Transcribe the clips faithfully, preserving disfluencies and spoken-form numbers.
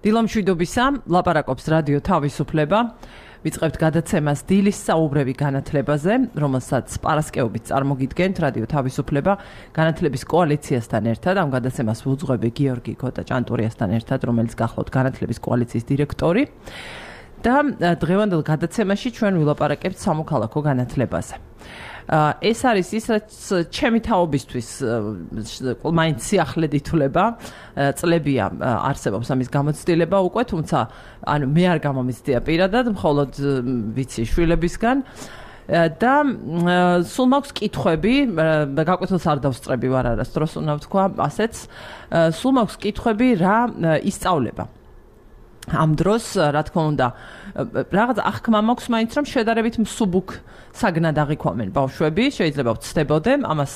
დილამშვიდობისა, ლაპარაკობს რადიო თავისუფლება. ვიწყებთ გადაცემას დილის საუბრები განათლებაზე, რომელსაც პარასკევობით წარმოგიდგენთ რადიო თავისუფლება განათლების კოალიციასთან ერთად. ამ გადაცემას ვუძღვები გიორგი კოტა-ჭანტურიასთან ერთად, რომელიც გახლავთ განათლების კოალიციის დირექტორი. და დღევანდელ გადაცემაში ჩვენ ვილაპარაკებთ სამოქალაქო განათლებაზე. ეს არის ის, რაც ჩემი თაობისთვის მაინც სიახლედ ითვლება, წლებია არსებობს ამის გამოცდილება უკვე, თუმცა ანუ მე არ გამომიცდია პირადად, მხოლოდ ვიცი შვილებისგან და სულ მაქვს კითხვები, გაკვეთილს არ დავსწრები ვარ არასდროს უნდა ვთქვა, ასეც სულ მაქვს კითხვები რა ისწავლება. ამ დროს, რა თქმა უნდა, რაღაც აღქმა მაქვს მაინც რომ შედარებით მსუბუქ საგნად აღიქვამენ ბავშვები, შეიძლება ვცდებოდე, ამას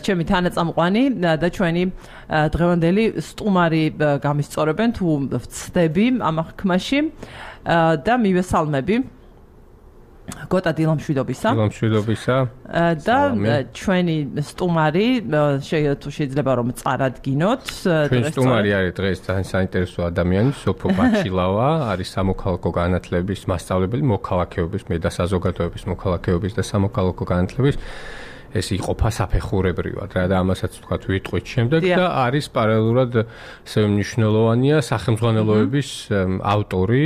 ჩემი თანაწამყვანი და ჩვენი დღევანდელი სტუმარი გამისწორებენ თუ ვცდები ამ აღქმაში და მივესალმები გოტა დილამშვიდობისა. დილამშვიდობისა. და ჩვენი სტუმარი შეიძლება რომ წარადგინოთ. ჩვენი სტუმარი არის დღეს ძალიან საინტერესო ადამიანი, სოფო ბაჩილავა, არის სამოქალაქო განათლების მასწავლებელი, მოქალაქეობის, მე და საზოგადოების მოქალაქეობის და სამოქალაქო განათლების ეს იყოფა საფეხურებრივად რა და ამასაც ვთქვათ ვიტყვით შემდეგ და არის პარალელურად ესე მნიშვნელოვანია სახელმძღვანელოების ავტორი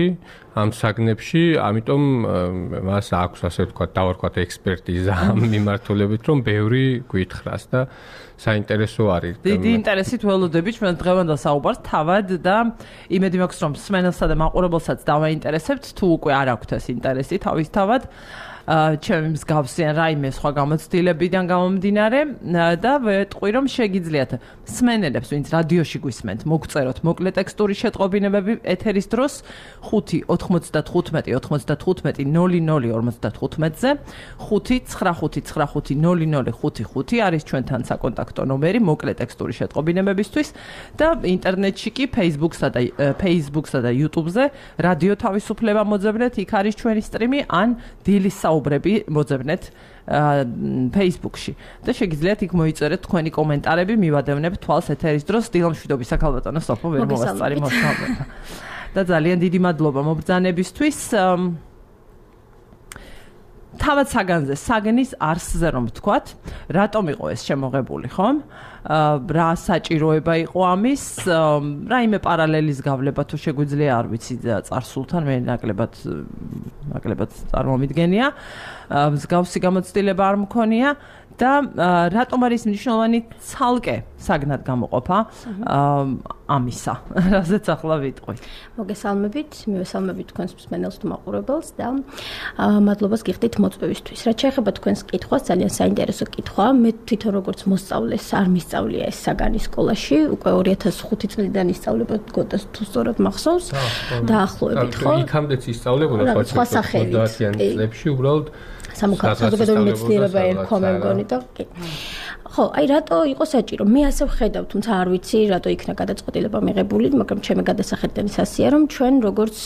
ამ საგნებში, ამიტომ მას აქვს ასე ვთქვათ დავარქვათ ექსპერტიზა ამ მიმართულებით, რომ ბევრი გვითხრას და საინტერესო არის. დიდი ინტერესით ველოდები ჩვენ დღევანდელ საუბარს თავად და იმედი მაქვს რომ მსმენელსა და მაყურებელსაც დავაინტერესებთ, თუ უკვე არ აქვთ ეს ინტერესი თავისთავად. ჩემი მსგავსიან რაიმე სხვა გამოცდილებიდან გამომდინარე და ვეტყვი რომ შეგიძლიათ მსმენელებს, ვინც რადიოში გვისმენთ, მოგწეროთ მოკლე ტექსტური შეტყობინებები ეთერის დროს ხუთი ოთხმოცდათხუთმეტი ოთხმოცდათხუთმეტი ნული ნული ორმოცდათხუთმეტზე ხუთი ცხრა ხუთი ცხრა ხუთი ნული ნული ხუთი ხუთი არის ჩვენთან საკონტაქტო ნომერი მოკლე ტექსტური შეტყობინებებისთვის და ინტერნეტში კი Facebook-სა და Facebook-სა და YouTube-ზე რადიო თავისუფლება მოძებნეთ, იქ არის ჩვენი სტრიმი ან დილის საუბრები მოძებნეთ Facebook-ში და შეგიძლიათ იქ მოიწერეთ თქვენი კომენტარები, მივადევნებ თვალს ეთერის დროს. დილამშვიდობისა ქალბატონო სოფო, ვერ მოვასწარი მოსწავლეთა. და ძალიან დიდი მადლობა მობრძანებისთვის. თავად საგანზე, საგნის არსზე რომ ვთქვათ, რატომ იყო ეს შემოღებული, ხომ? რა საჭიროება იყო ამის, რაიმე პარალელის გავლება თუ შეგვიძლია, არ ვიცი, წარსულთან მე ნაკლებად ნაკლებად წარმომიდგენია. მსგავსი გამოცდილება არ მქონია და რატომ არის მნიშვნელოვანი ცალკე საგნად გამოყოფა ამისა, რაზეც ახლა ვიტყვი. მოგესალმებით, მივესალმებით თქვენს მსმენელს თუ მაყურებელს და მადლობას გიხდით მოწვევისთვის. რაც შეეხება თქვენს კითხვას, ძალიან საინტერესო კითხვა. მე თვითონ როგორც მოსწავლეს არ მისწავლია ეს საგანი სკოლაში, უკვე ორი ათას ხუთი წლიდან ისწავლება გოტას თუ სწორად მახსოვს. დაახლოებით ხო? იქამდეც ისწავლებოდა სხვა სახელით. წლებში უბრალოდ საზოგადოებრივი მეცნიერება ერქვა მე მგონი და კი. ხო, აი რატო იყო საჭირო? მე ასე ვხედავ, თუმცა არ ვიცი რატო იქნა გადაწყვეტილება მიღებული, მაგრამ ჩემი გადასახედიდან ის ასეა, რომ ჩვენ როგორც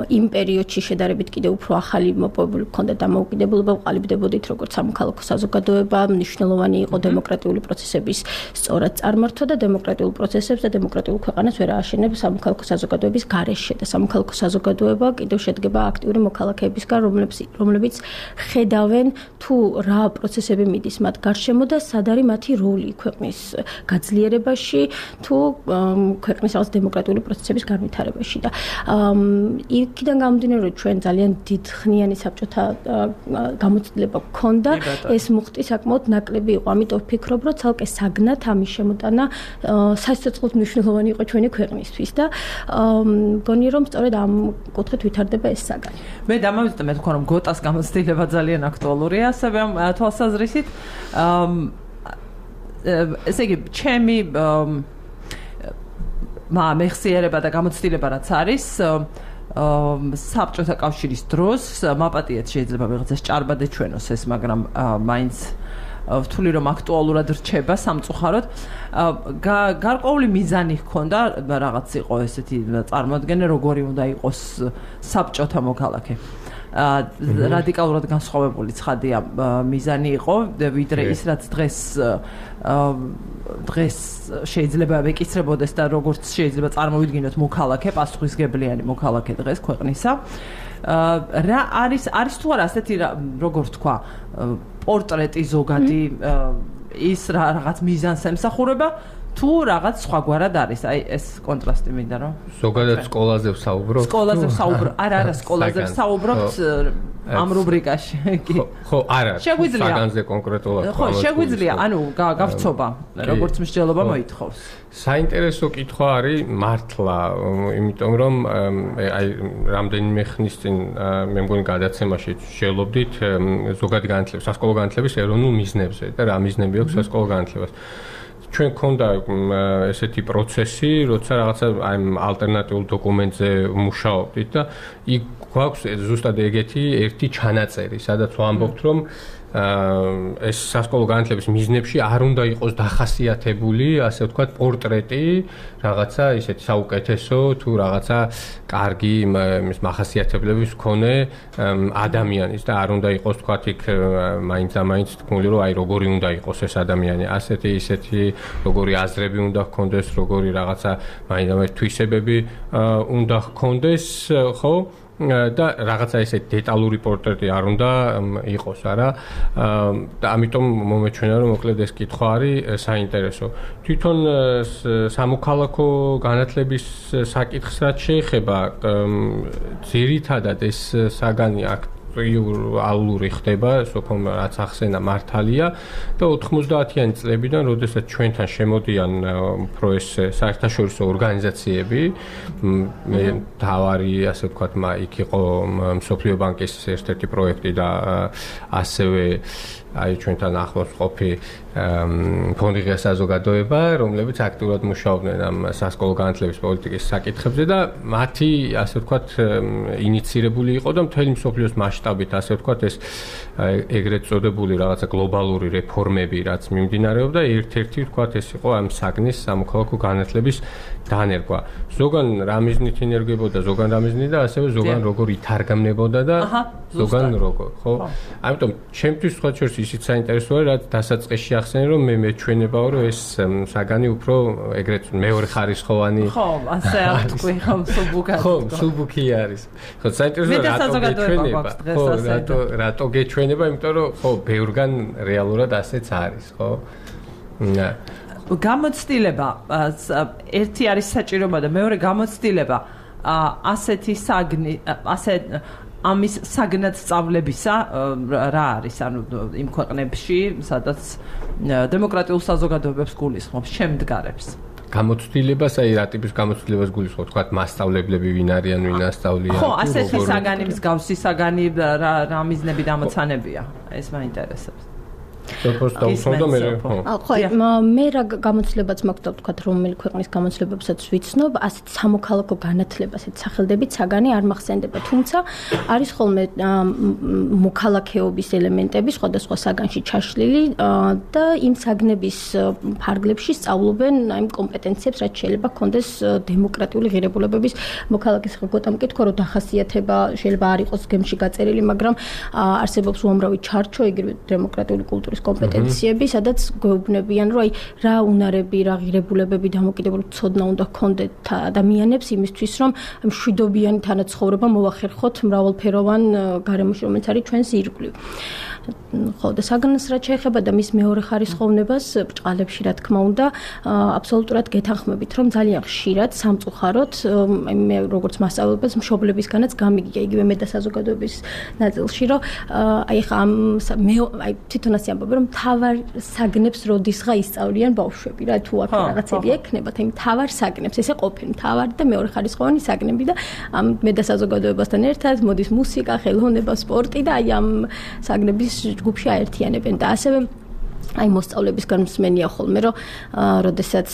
იმ პერიოდში შედარებით კიდევ უფრო ახალი მოპოვებული გქონდა დამოუკიდებლობა, ვყალიბდებოდით როგორც სამოქალაქო საზოგადოება, მნიშვნელოვანი იყო დემოკრატიული პროცესების სწორად წარმართვა და დემოკრატიულ პროცესებს და დემოკრატიულ ქვეყანას ვერ ააშენებს სამოქალაქო საზოგადოების გარეშე და სამოქალაქო საზოგადოება კიდევ შედგება აქტიური მოქალაქეებისგან, რომლებიც რომლებიც ხედავენ თუ რა პროცესები მიდის მათ გარშემო და სად არის მათი როლი ქვეყნის გაძლიერებაში თუ ქვეყნის რაღაც დემოკრატიული პროცესების განვითარებაში და იქიდან გამომდინარე რომ ჩვენ ძალიან დიდხნიანი საბჭოთა გამოცდილება გქონდა, ეს მუხტი საკმაოდ ნაკლები იყო, ამიტომ ვფიქრობ რომ ცალკე საგნად ამის შემოტანა სასიცოცხლოდ მნიშვნელოვანი იყო ჩვენი ქვეყნისთვის და მგონი რომ სწორედ ამ კუთხით ვითარდება ეს საგანი. მე დამავიწყე მე თქვა რომ გოტას გამოცდილება ძალიან აქტუალურია ასევე ამ თვალსაზრისით. ესე იგი, ჩემი მეხსიერება და გამოცდილება რაც არის, საბჭოთა კავშირის დროს მაპატიეთ შეიძლება ვიღაცას ჭარბად ეჩვენოს ეს, მაგრამ მაინც ვთვლი რომ აქტუალურად რჩება სამწუხაროდ. გარკვეული მიზანი ჰქონდა, რაღაც იყო ესეთი წარმოადგენა, როგორი უნდა იყოს საბჭოთა მოქალაქე. რადიკალურად განსხვავებული ცხადია მიზანი იყო, ვიდრე ის რაც დღეს დღეს შეიძლება ეკისრებოდეს და როგორც შეიძლება წარმოვიდგინოთ მოქალაქე, პასუხისგებლიანი მოქალაქე დღეს ქვეყნისა. რა არის არის თუ არა ასეთი როგორ თქვა პორტრეტი ზოგადი ის რაღაც მიზანს ემსახურება თუ რაღაც სხვაგვარად არის აი ეს კონტრასტი მინდა რომ ზოგადად სკოლაზე ვსაუბრობ სკოლაზე ვსაუბრობ არა არა სკოლაზე ვსაუბრობთ ამ რუბრიკაში კი ხო არა საგანზე კონკრეტულად ხო შეგვიძლია ანუ გავცობა როგორც მსჯელობა მოითხოვს საინტერესო კითხვა არის მართლა იმიტომ რომ აი რამდენიმე ხნის წინ მე მგონი გადაცემაში შევლობდით ზოგადი განათლების სასკოლო განათლების ეროვნულ მიზნებზე და რა მიზნები აქვს სასკოლო განათლებას ჩვენ გქონდა ესეთი პროცესი, როცა რაღაცა აი ალტერნატიულ დოკუმენტზე მუშაობდით და იქ გვაქვს ზუსტად ეგეთი ერთი ჩანაწერი, სადაც ვამბობთ, რომ ეს სასკოლო განათლების მიზნებში არ უნდა იყოს დახასიათებული, ასე ვთქვათ, პორტრეტი, რაღაცა ისეთი საუკეთესო თუ რაღაცა კარგი ის მახასიათებლების მქონე ადამიანის და არ უნდა იყოს ვთქვათ იქ მაინც ამაინც თქმული რომ აი როგორი უნდა იყოს ეს ადამიანი, ასეთი ისეთი როგორი აზრები უნდა ჰქონდეს, როგორი რაღაცა მაინც ამაინც თვისებები უნდა ჰქონდეს, ხო? და რაღაცა ესე დეტალური პორტრეტი არ უნდა იყოს, არა? და ამიტომ მომეჩვენა რომ მოკლედ ეს კითხვა არის საინტერესო. თვითონ სამოქალაქო განათლების საკითხს რაც შეეხება, ძირითადად ეს საგანი აქტუალური ხდება, სოფომ რაც ახსენა მართალია და ოთხმოცდაათიანი წლებიდან, როდესაც ჩვენთან შემოდიან უფრო ეს საერთაშორისო ორგანიზაციები, მე თავარი ასე ვთქვათ, იქ იყო მსოფლიო ბანკის ერთ-ერთი პროექტი და ასევე აი ჩვენთან ახლოს ყოფი ფონდი ღია საზოგადოება, რომლებიც აქტიურად მუშაობდნენ ამ სასკოლო განათლების პოლიტიკის საკითხებზე და მათი ასე ვთქვათ ინიცირებული იყო და მთელი მსოფლიოს მასშტაბით ასე ვთქვათ ეს ეგრეთ წოდებული რაღაცა გლობალური რეფორმები, რაც მიმდინარეობდა, ერთ-ერთი ვთქვათ ეს იყო ამ საგნის სამოქალაქო განათლების დანერგვა. ზოგან რა მიზნით ინერგებოდა, ზოგან რა მიზნით და ასევე ზოგან როგორ ითარგმნებოდა და ზოგან როგორ, ხო? ამიტომ ჩემთვის სხვა შორის ისიც საინტერესოა, რაც დასაწყისში ახსენე, რომ მე მეჩვენებაო, რომ ეს საგანი უფრო ეგრეთ მეორე ხარისხოვანი ხო, ასე არ თქვი, ხო, სუბუქი. ხო, სუბუქი არის. ხო, საინტერესოა რატო გეჩვენება? ხო, რატო რატო გეჩვენება, იმიტომ რომ ხო, ბევრგან რეალურად ასეც არის, ხო? და გამოცდილება ერთი არის საჭიროება და მეორე გამოცდილება ასეთი საგნი ასე ამის საგნად სწავლებისა რა არის ანუ იმ ქვეყნებში სადაც დემოკრატიულ საზოგადოებებს გულისხმობს შემდგარებს გამოცდილებას აი რა ტიპის გამოცდილებას გულისხმობს თქვა მასწავლებლები ვინ არიან ვინ ასწავლიან ხო ასეთი საგანი მსგავსი საგანი რა რა მიზნები დამოცანებია ეს მაინტერესებს სოფოსტა უსმენდა მე ხო მე რა გამოცდილებაც მაქვს და ვთქვათ რომელი ქვეყნის გამოცდილებებსაც ვიცნობ ასეთ სამოქალაქო განათლებას ასეთ სახელდებით საგანი არ მახსენდება თუმცა არის ხოლმე მოქალაქეობის ელემენტები სხვადასხვა საგანში ჩაშლილი და იმ საგნების ფარგლებში სწავლობენ აი კომპეტენციებს რაც შეიძლება ჰქონდეს დემოკრატიული ღირებულებების მოქალაქეს ხომ მკითხვა რომ დახასიათება შეიძლება არ იყოს გემში გაწერილი მაგრამ არსებობს უამრავი ჩარჩო იგივე დემოკრატიული კულტურის კომპეტენციები, სადაც გვეუბნებიან, რომ აი რა უნარები, რა ღირებულებები დამოკიდებული ცოდნა უნდა ჰქონდეთ ადამიანებს იმისთვის, რომ მშვიდობიანი თანაცხოვრება მოვახერხოთ მრავალფეროვან გარემოში, რომელიც არის ჩვენს ირგვლივ. ხო და საგანს რაც შეეხება და მის მეორე ხარისხოვნებას ბჭყალებში რა თქმა უნდა აბსოლუტურად გეთანხმებით რომ ძალიან ხშირად სამწუხაროდ მე როგორც მასწავლებელს მშობლებისგანაც გამიგია იგივე მე და საზოგადოების ნაწილში რომ აი ხა ამ მე აი თვითონ ასე ამბობ რომ თავარ საგნებს როდისღა ისწავლიან ბავშვები რა თუ აქ რაღაცები ექნებათ აი თავარ საგნებს ესე ყოფენ თავარ და მეორე ხარისხოვანი საგნები და ამ მე და საზოგადოებასთან ერთად მოდის მუსიკა, ხელოვნება, სპორტი და აი ამ საგნების ჯგუფში აერთიანებენ და ასევე აი მოსწავლებისგან მსმენია ხოლმე რომ როდესაც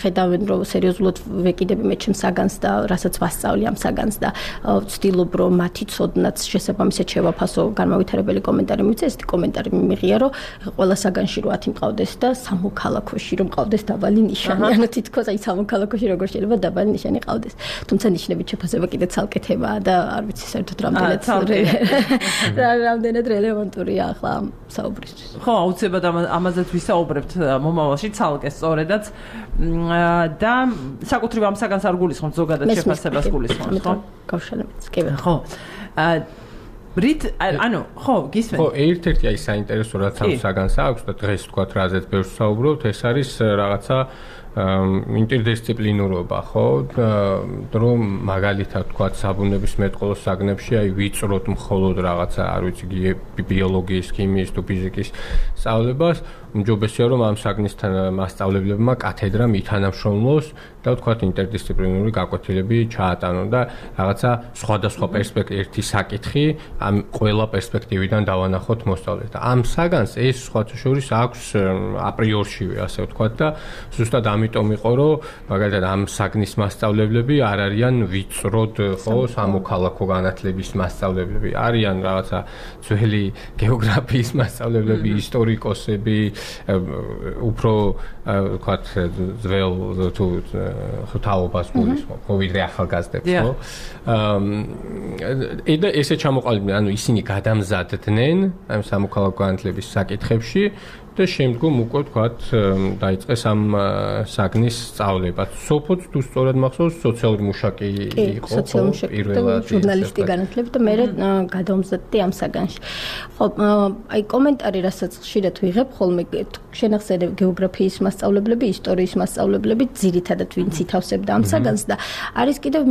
ხედავენ რომ სერიოზულად ვეკიდები მე ჩემს საგანს და რასაც ვასწავლი ამ საგანს და ვცდილობ რომ მათი ცოდნაც შესაბამისად შევაფასო განმავითარებელი კომენტარი მივიწე ესეთი კომენტარი მიმიღია რომ ყველა საგანში რო ათი მყავდეს და სამოქალაქოში რომ მყავდეს დაბალი ნიშანი ანუ თითქოს აი სამოქალაქოში როგორ შეიძლება დაბალი ნიშანი ყავდეს თუმცა ნიშნებით შეფასება კიდე ცალკეთებაა და არ ვიცი საერთოდ რამდენად რამდენად რელევანტურია ახლა საუბრისთვის ხო აუცილებლად ამაზეც ვისაუბრებთ მომავალში ცალკე სწორედაც და საკუთრივ ამ საგანს არ გულისხმობთ ზოგადად შეფასებას გულისხმობთ ხო? გავშალებით კი ხო. რით ანუ ხო გისმენთ? ხო ერთ-ერთი აი საინტერესო რაც ამ საგანს აქვს და დღეს თქვათ რაზეც ბევრს საუბრობთ ეს არის რაღაცა ინტერდისციპლინურობა ხო რომ მაგალითად თქვათ საბუნების მეტყველოს საგნებში აი ვიწროთ მხოლოდ რაღაცა არ ვიცი ბიოლოგიის, ქიმიის თუ ფიზიკის სწავლებას უმჯობესია რომ ამ საგნისთან მასწავლებლებმა კათედრა მითანამშრომლოს და თქვათ ინტერდისციპლინური გაკვეთილები ჩაატანონ და რაღაცა სხვადასხვა პერსპექტივი ერთი საკითხი ამ ყველა პერსპექტივიდან დავანახოთ მოსწავლეს და ამ საგანს ეს სხვათა შორის აქვს აპრიორშივე ასე ვთქვათ და ზუსტად ამიტომ იყო რომ მაგალითად ამ საგნის მასწავლებლები არ არიან ვიწროდ ხო სამოქალაქო განათლების მასწავლებლები არიან რაღაცა ძველი გეოგრაფიის მასწავლებლები ისტორიკოსები უფრო ვთქვათ ძველ თუ ხთაობას გულისხმობ ხო ვიდრე ახალგაზრდებს ხო და ესე ჩამოყალიბდნენ ანუ ისინი გადამზადდნენ ამ სამოქალაქო განათლების საკითხებში და შემდგომ უკვე თქვათ დაიწყეს ამ საგნის სწავლება. სოფოც თუ სწორად მახსოვს სოციალური მუშაკი იყო პირველად ჟურნალისტი განათლებით და მე გადავმზადდი ამ საგანში. ხო, აი კომენტარი რასაც ხშირად ვიღებ ხოლმე შენახსენე გეოგრაფიის მასწავლებლები, ისტორიის მასწავლებლები ძირითადად ვინც ითავსებდა ამ საგანს და არის კიდევ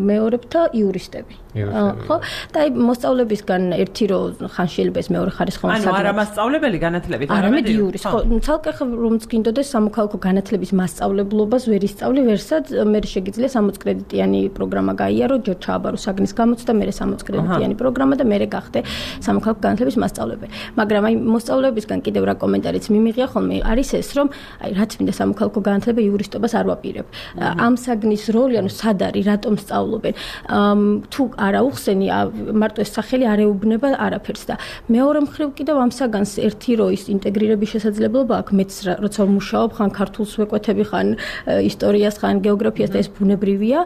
მეორებთა იურისტები. ხო? და აი მოსწავლებისგან ერთი რო ხან შეიძლება ეს მეორე ხარისხოვანი საგანი. ანუ არა მასწავლებელი განათლებით არა იურის ხო ცალკე რომც გინდოდეს სამოქალაქო განათლების მასწავლებლობას ვერ ისწავლი ვერსად მე შეგიძლია სამოც კრედიტიანი პროგრამა გაიარო ჯერ ჩააბარო საგნის გამოცდა მე სამოც კრედიტიანი პროგრამა და მე გახდე სამოქალაქო განათლების მასწავლებელი მაგრამ აი მოსწავლებისგან კიდევ რა კომენტარიც მიმიღია ხოლმე არის ეს რომ აი რაც მინდა სამოქალაქო განათლება იურისტობას არ ვაპირებ ამ საგნის როლი ანუ სად არის რატომ სწავლობენ თუ არა უხსენი მარტო ეს სახელი არ ეუბნება არაფერს და მეორე მხრივ კიდევ ამ საგანს ერთი რო ის ინტეგრირების შესაძლებლობა აქვს მეც როცა ვმუშაობ ხან ქართულს ვეკვეთები ხან ისტორიას ხან გეოგრაფიას და ეს ბუნებრივია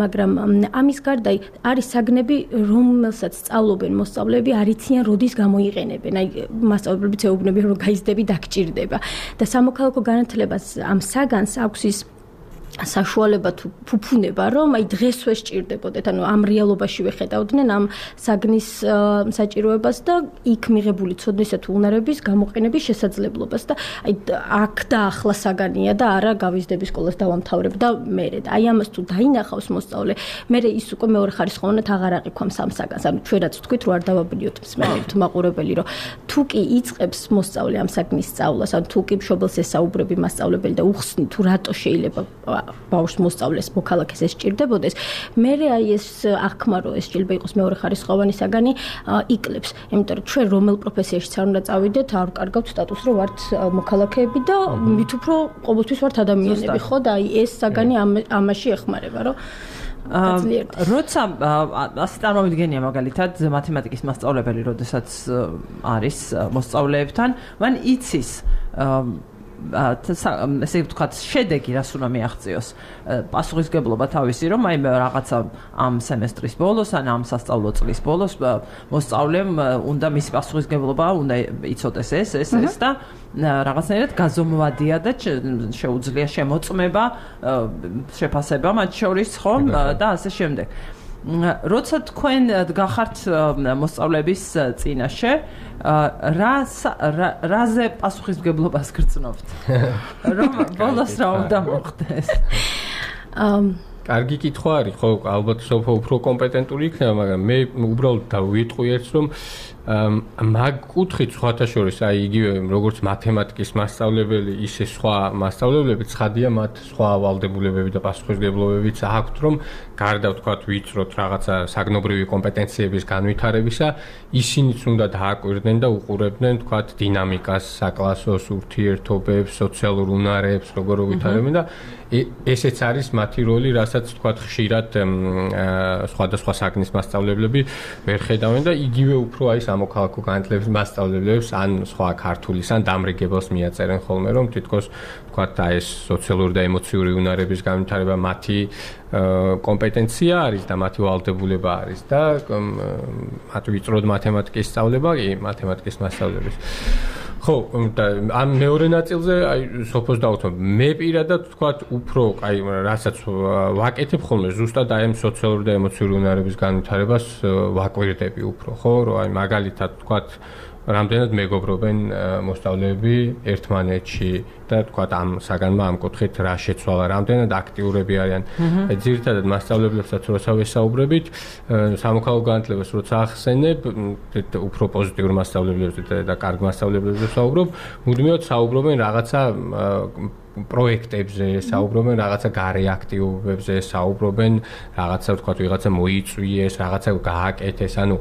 მაგრამ ამის გარდა არის საგნები რომელსაც სწავლობენ მოსწავლეები არიციან როდის გამოიყენებენ აი მასწავლებლებიც ეუბნებიან რომ გაიზრდები დაგჭირდება და სამოქალაქო განათლებას ამ საგანს აქვს ის საშუალება თუ ფუფუნება რომ აი დღესვე სჭირდებოდეთ ანუ ამ რეალობაში ვეხედავდნენ ამ საგნის საჭიროებას და იქ მიღებული ცოდნისა თუ უნარების გამოყენების შესაძლებლობას და აი აქ და ახლა საგანია და არა გავიზრდები სკოლას დავამთავრებ და მერე და აი ამას თუ დაინახავს მოსწავლე მერე ის უკვე მეორე ხარისხოვანად აღარ აყიქვამს ამ საგანს ანუ ჩვენ რაც ვთქვით რომ არ დავაბნიოთ მსმენელთ მაყურებელი რომ თუ კი იწყებს მოსწავლე ამ საგნის სწავლას ან თუ კი მშობელს ესაუბრები მასწავლებელი და უხსნი თუ რატო შეიძლება ბავშვს მოსწავლეს მოქალაქეს ეს სჭირდებოდეს მე აი ეს აღქმა რომ ეს შეიძლება იყოს მეორე ხარისხოვანი საგანი იკლებს იმიტომ რომ ჩვენ რომელ პროფესიაში არ უნდა წავიდეთ არ კარგავთ სტატუსს რომ ვართ მოქალაქეები და მით უფრო ყოველთვის ვართ ადამიანები ხო და აი ეს საგანი ამაში ეხმარება რომ როცა ასე წარმოვიდგენია მაგალითად მათემატიკის მასწავლებელი როდესაც არის მოსწავლეებთან მან იცის ესე ვთქვათ შედეგი რას უნდა მიაღწიოს პასუხისგებლობა თავისი რომ აი რაღაცა ამ სემესტრის ბოლოს ან ამ სასწავლო წლის ბოლოს მოსწავლემ უნდა მისი პასუხისგებლობა უნდა იცოდეს ეს ეს ეს და რაღაცნაირად გაზომვადია და შეუძლია შემოწმება შეფასება მათ შორის ხომ და ასე შემდეგ როცა თქვენ გახართ მოსწავლეების წინაშე რა რაზე პასუხისმგებლობას გრძნობთ რომ ბოლოს რა უნდა მოხდეს კარგი კითხვა არის ხო ალბათ სოფო უფრო კომპეტენტური იქნება მაგრამ მე უბრალოდ დავიტყვი ერთს რომ მაგ კუთხით სხვათა შორის აი იგივე როგორც მათემატიკის მასწავლებელი ისე სხვა მასწავლებლებიც ცხადია მათ სხვა ვალდებულებები და პასუხისმგებლობებიც აქვთ რომ გარდა ვთქვათ ვიწროთ რაღაცა საგნობრივი კომპეტენციების განვითარებისა ისინიც უნდა დააკვირდნენ და უყურებდნენ ვთქვათ დინამიკას საკლასოს ურთიერთობებს სოციალურ უნარებს როგორ ვითარებენ და ესეც არის მათი როლი რასაც ვთქვათ ხშირად სხვადასხვა საგნის მასწავლებლები ვერ ხედავენ და იგივე უფრო აი სამოქალაქო განათლების მასწავლებლებს ან სხვა ქართულის ან დამრიგებელს მიაწერენ ხოლმე რომ თითქოს ვთქვათ აი ეს სოციალური და ემოციური უნარების განვითარება მათი კომპეტენცია არის და მათი ვალდებულება არის და მათ ვიწროდ მათემატიკის სწავლება კი მათემატიკის მასწავლებლების ხო და ამ მეორე ნაწილზე აი სოფოს დავუთმობ მე პირადად ვთქვათ უფრო აი რასაც ვაკეთებ ხოლმე ზუსტად აი ამ სოციალური და ემოციური უნარების განვითარებას ვაკვირდები უფრო ხო რომ აი მაგალითად ვთქვათ რამდენად მეგობრობენ მოსწავლეები ერთმანეთში და თქვათ ამ საგანმა ამ კუთხით რა შეცვალა, რამდენად აქტიურები არიან. ძირითადად მასწავლებლებსაც როცა ვესაუბრებით, სამოქალაქო განათლებას როცა ახსენებ, უფრო პოზიტიურ მასწავლებლებს და კარგ მასწავლებლებს ვსაუბრობ, მუდმივად საუბრობენ რაღაცა პროექტებზე, საუბრობენ რაღაცა გარე აქტივობებზე, საუბრობენ რაღაცა თქვათ ვიღაცა მოიწვიეს, რაღაცა გააკეთეს, ანუ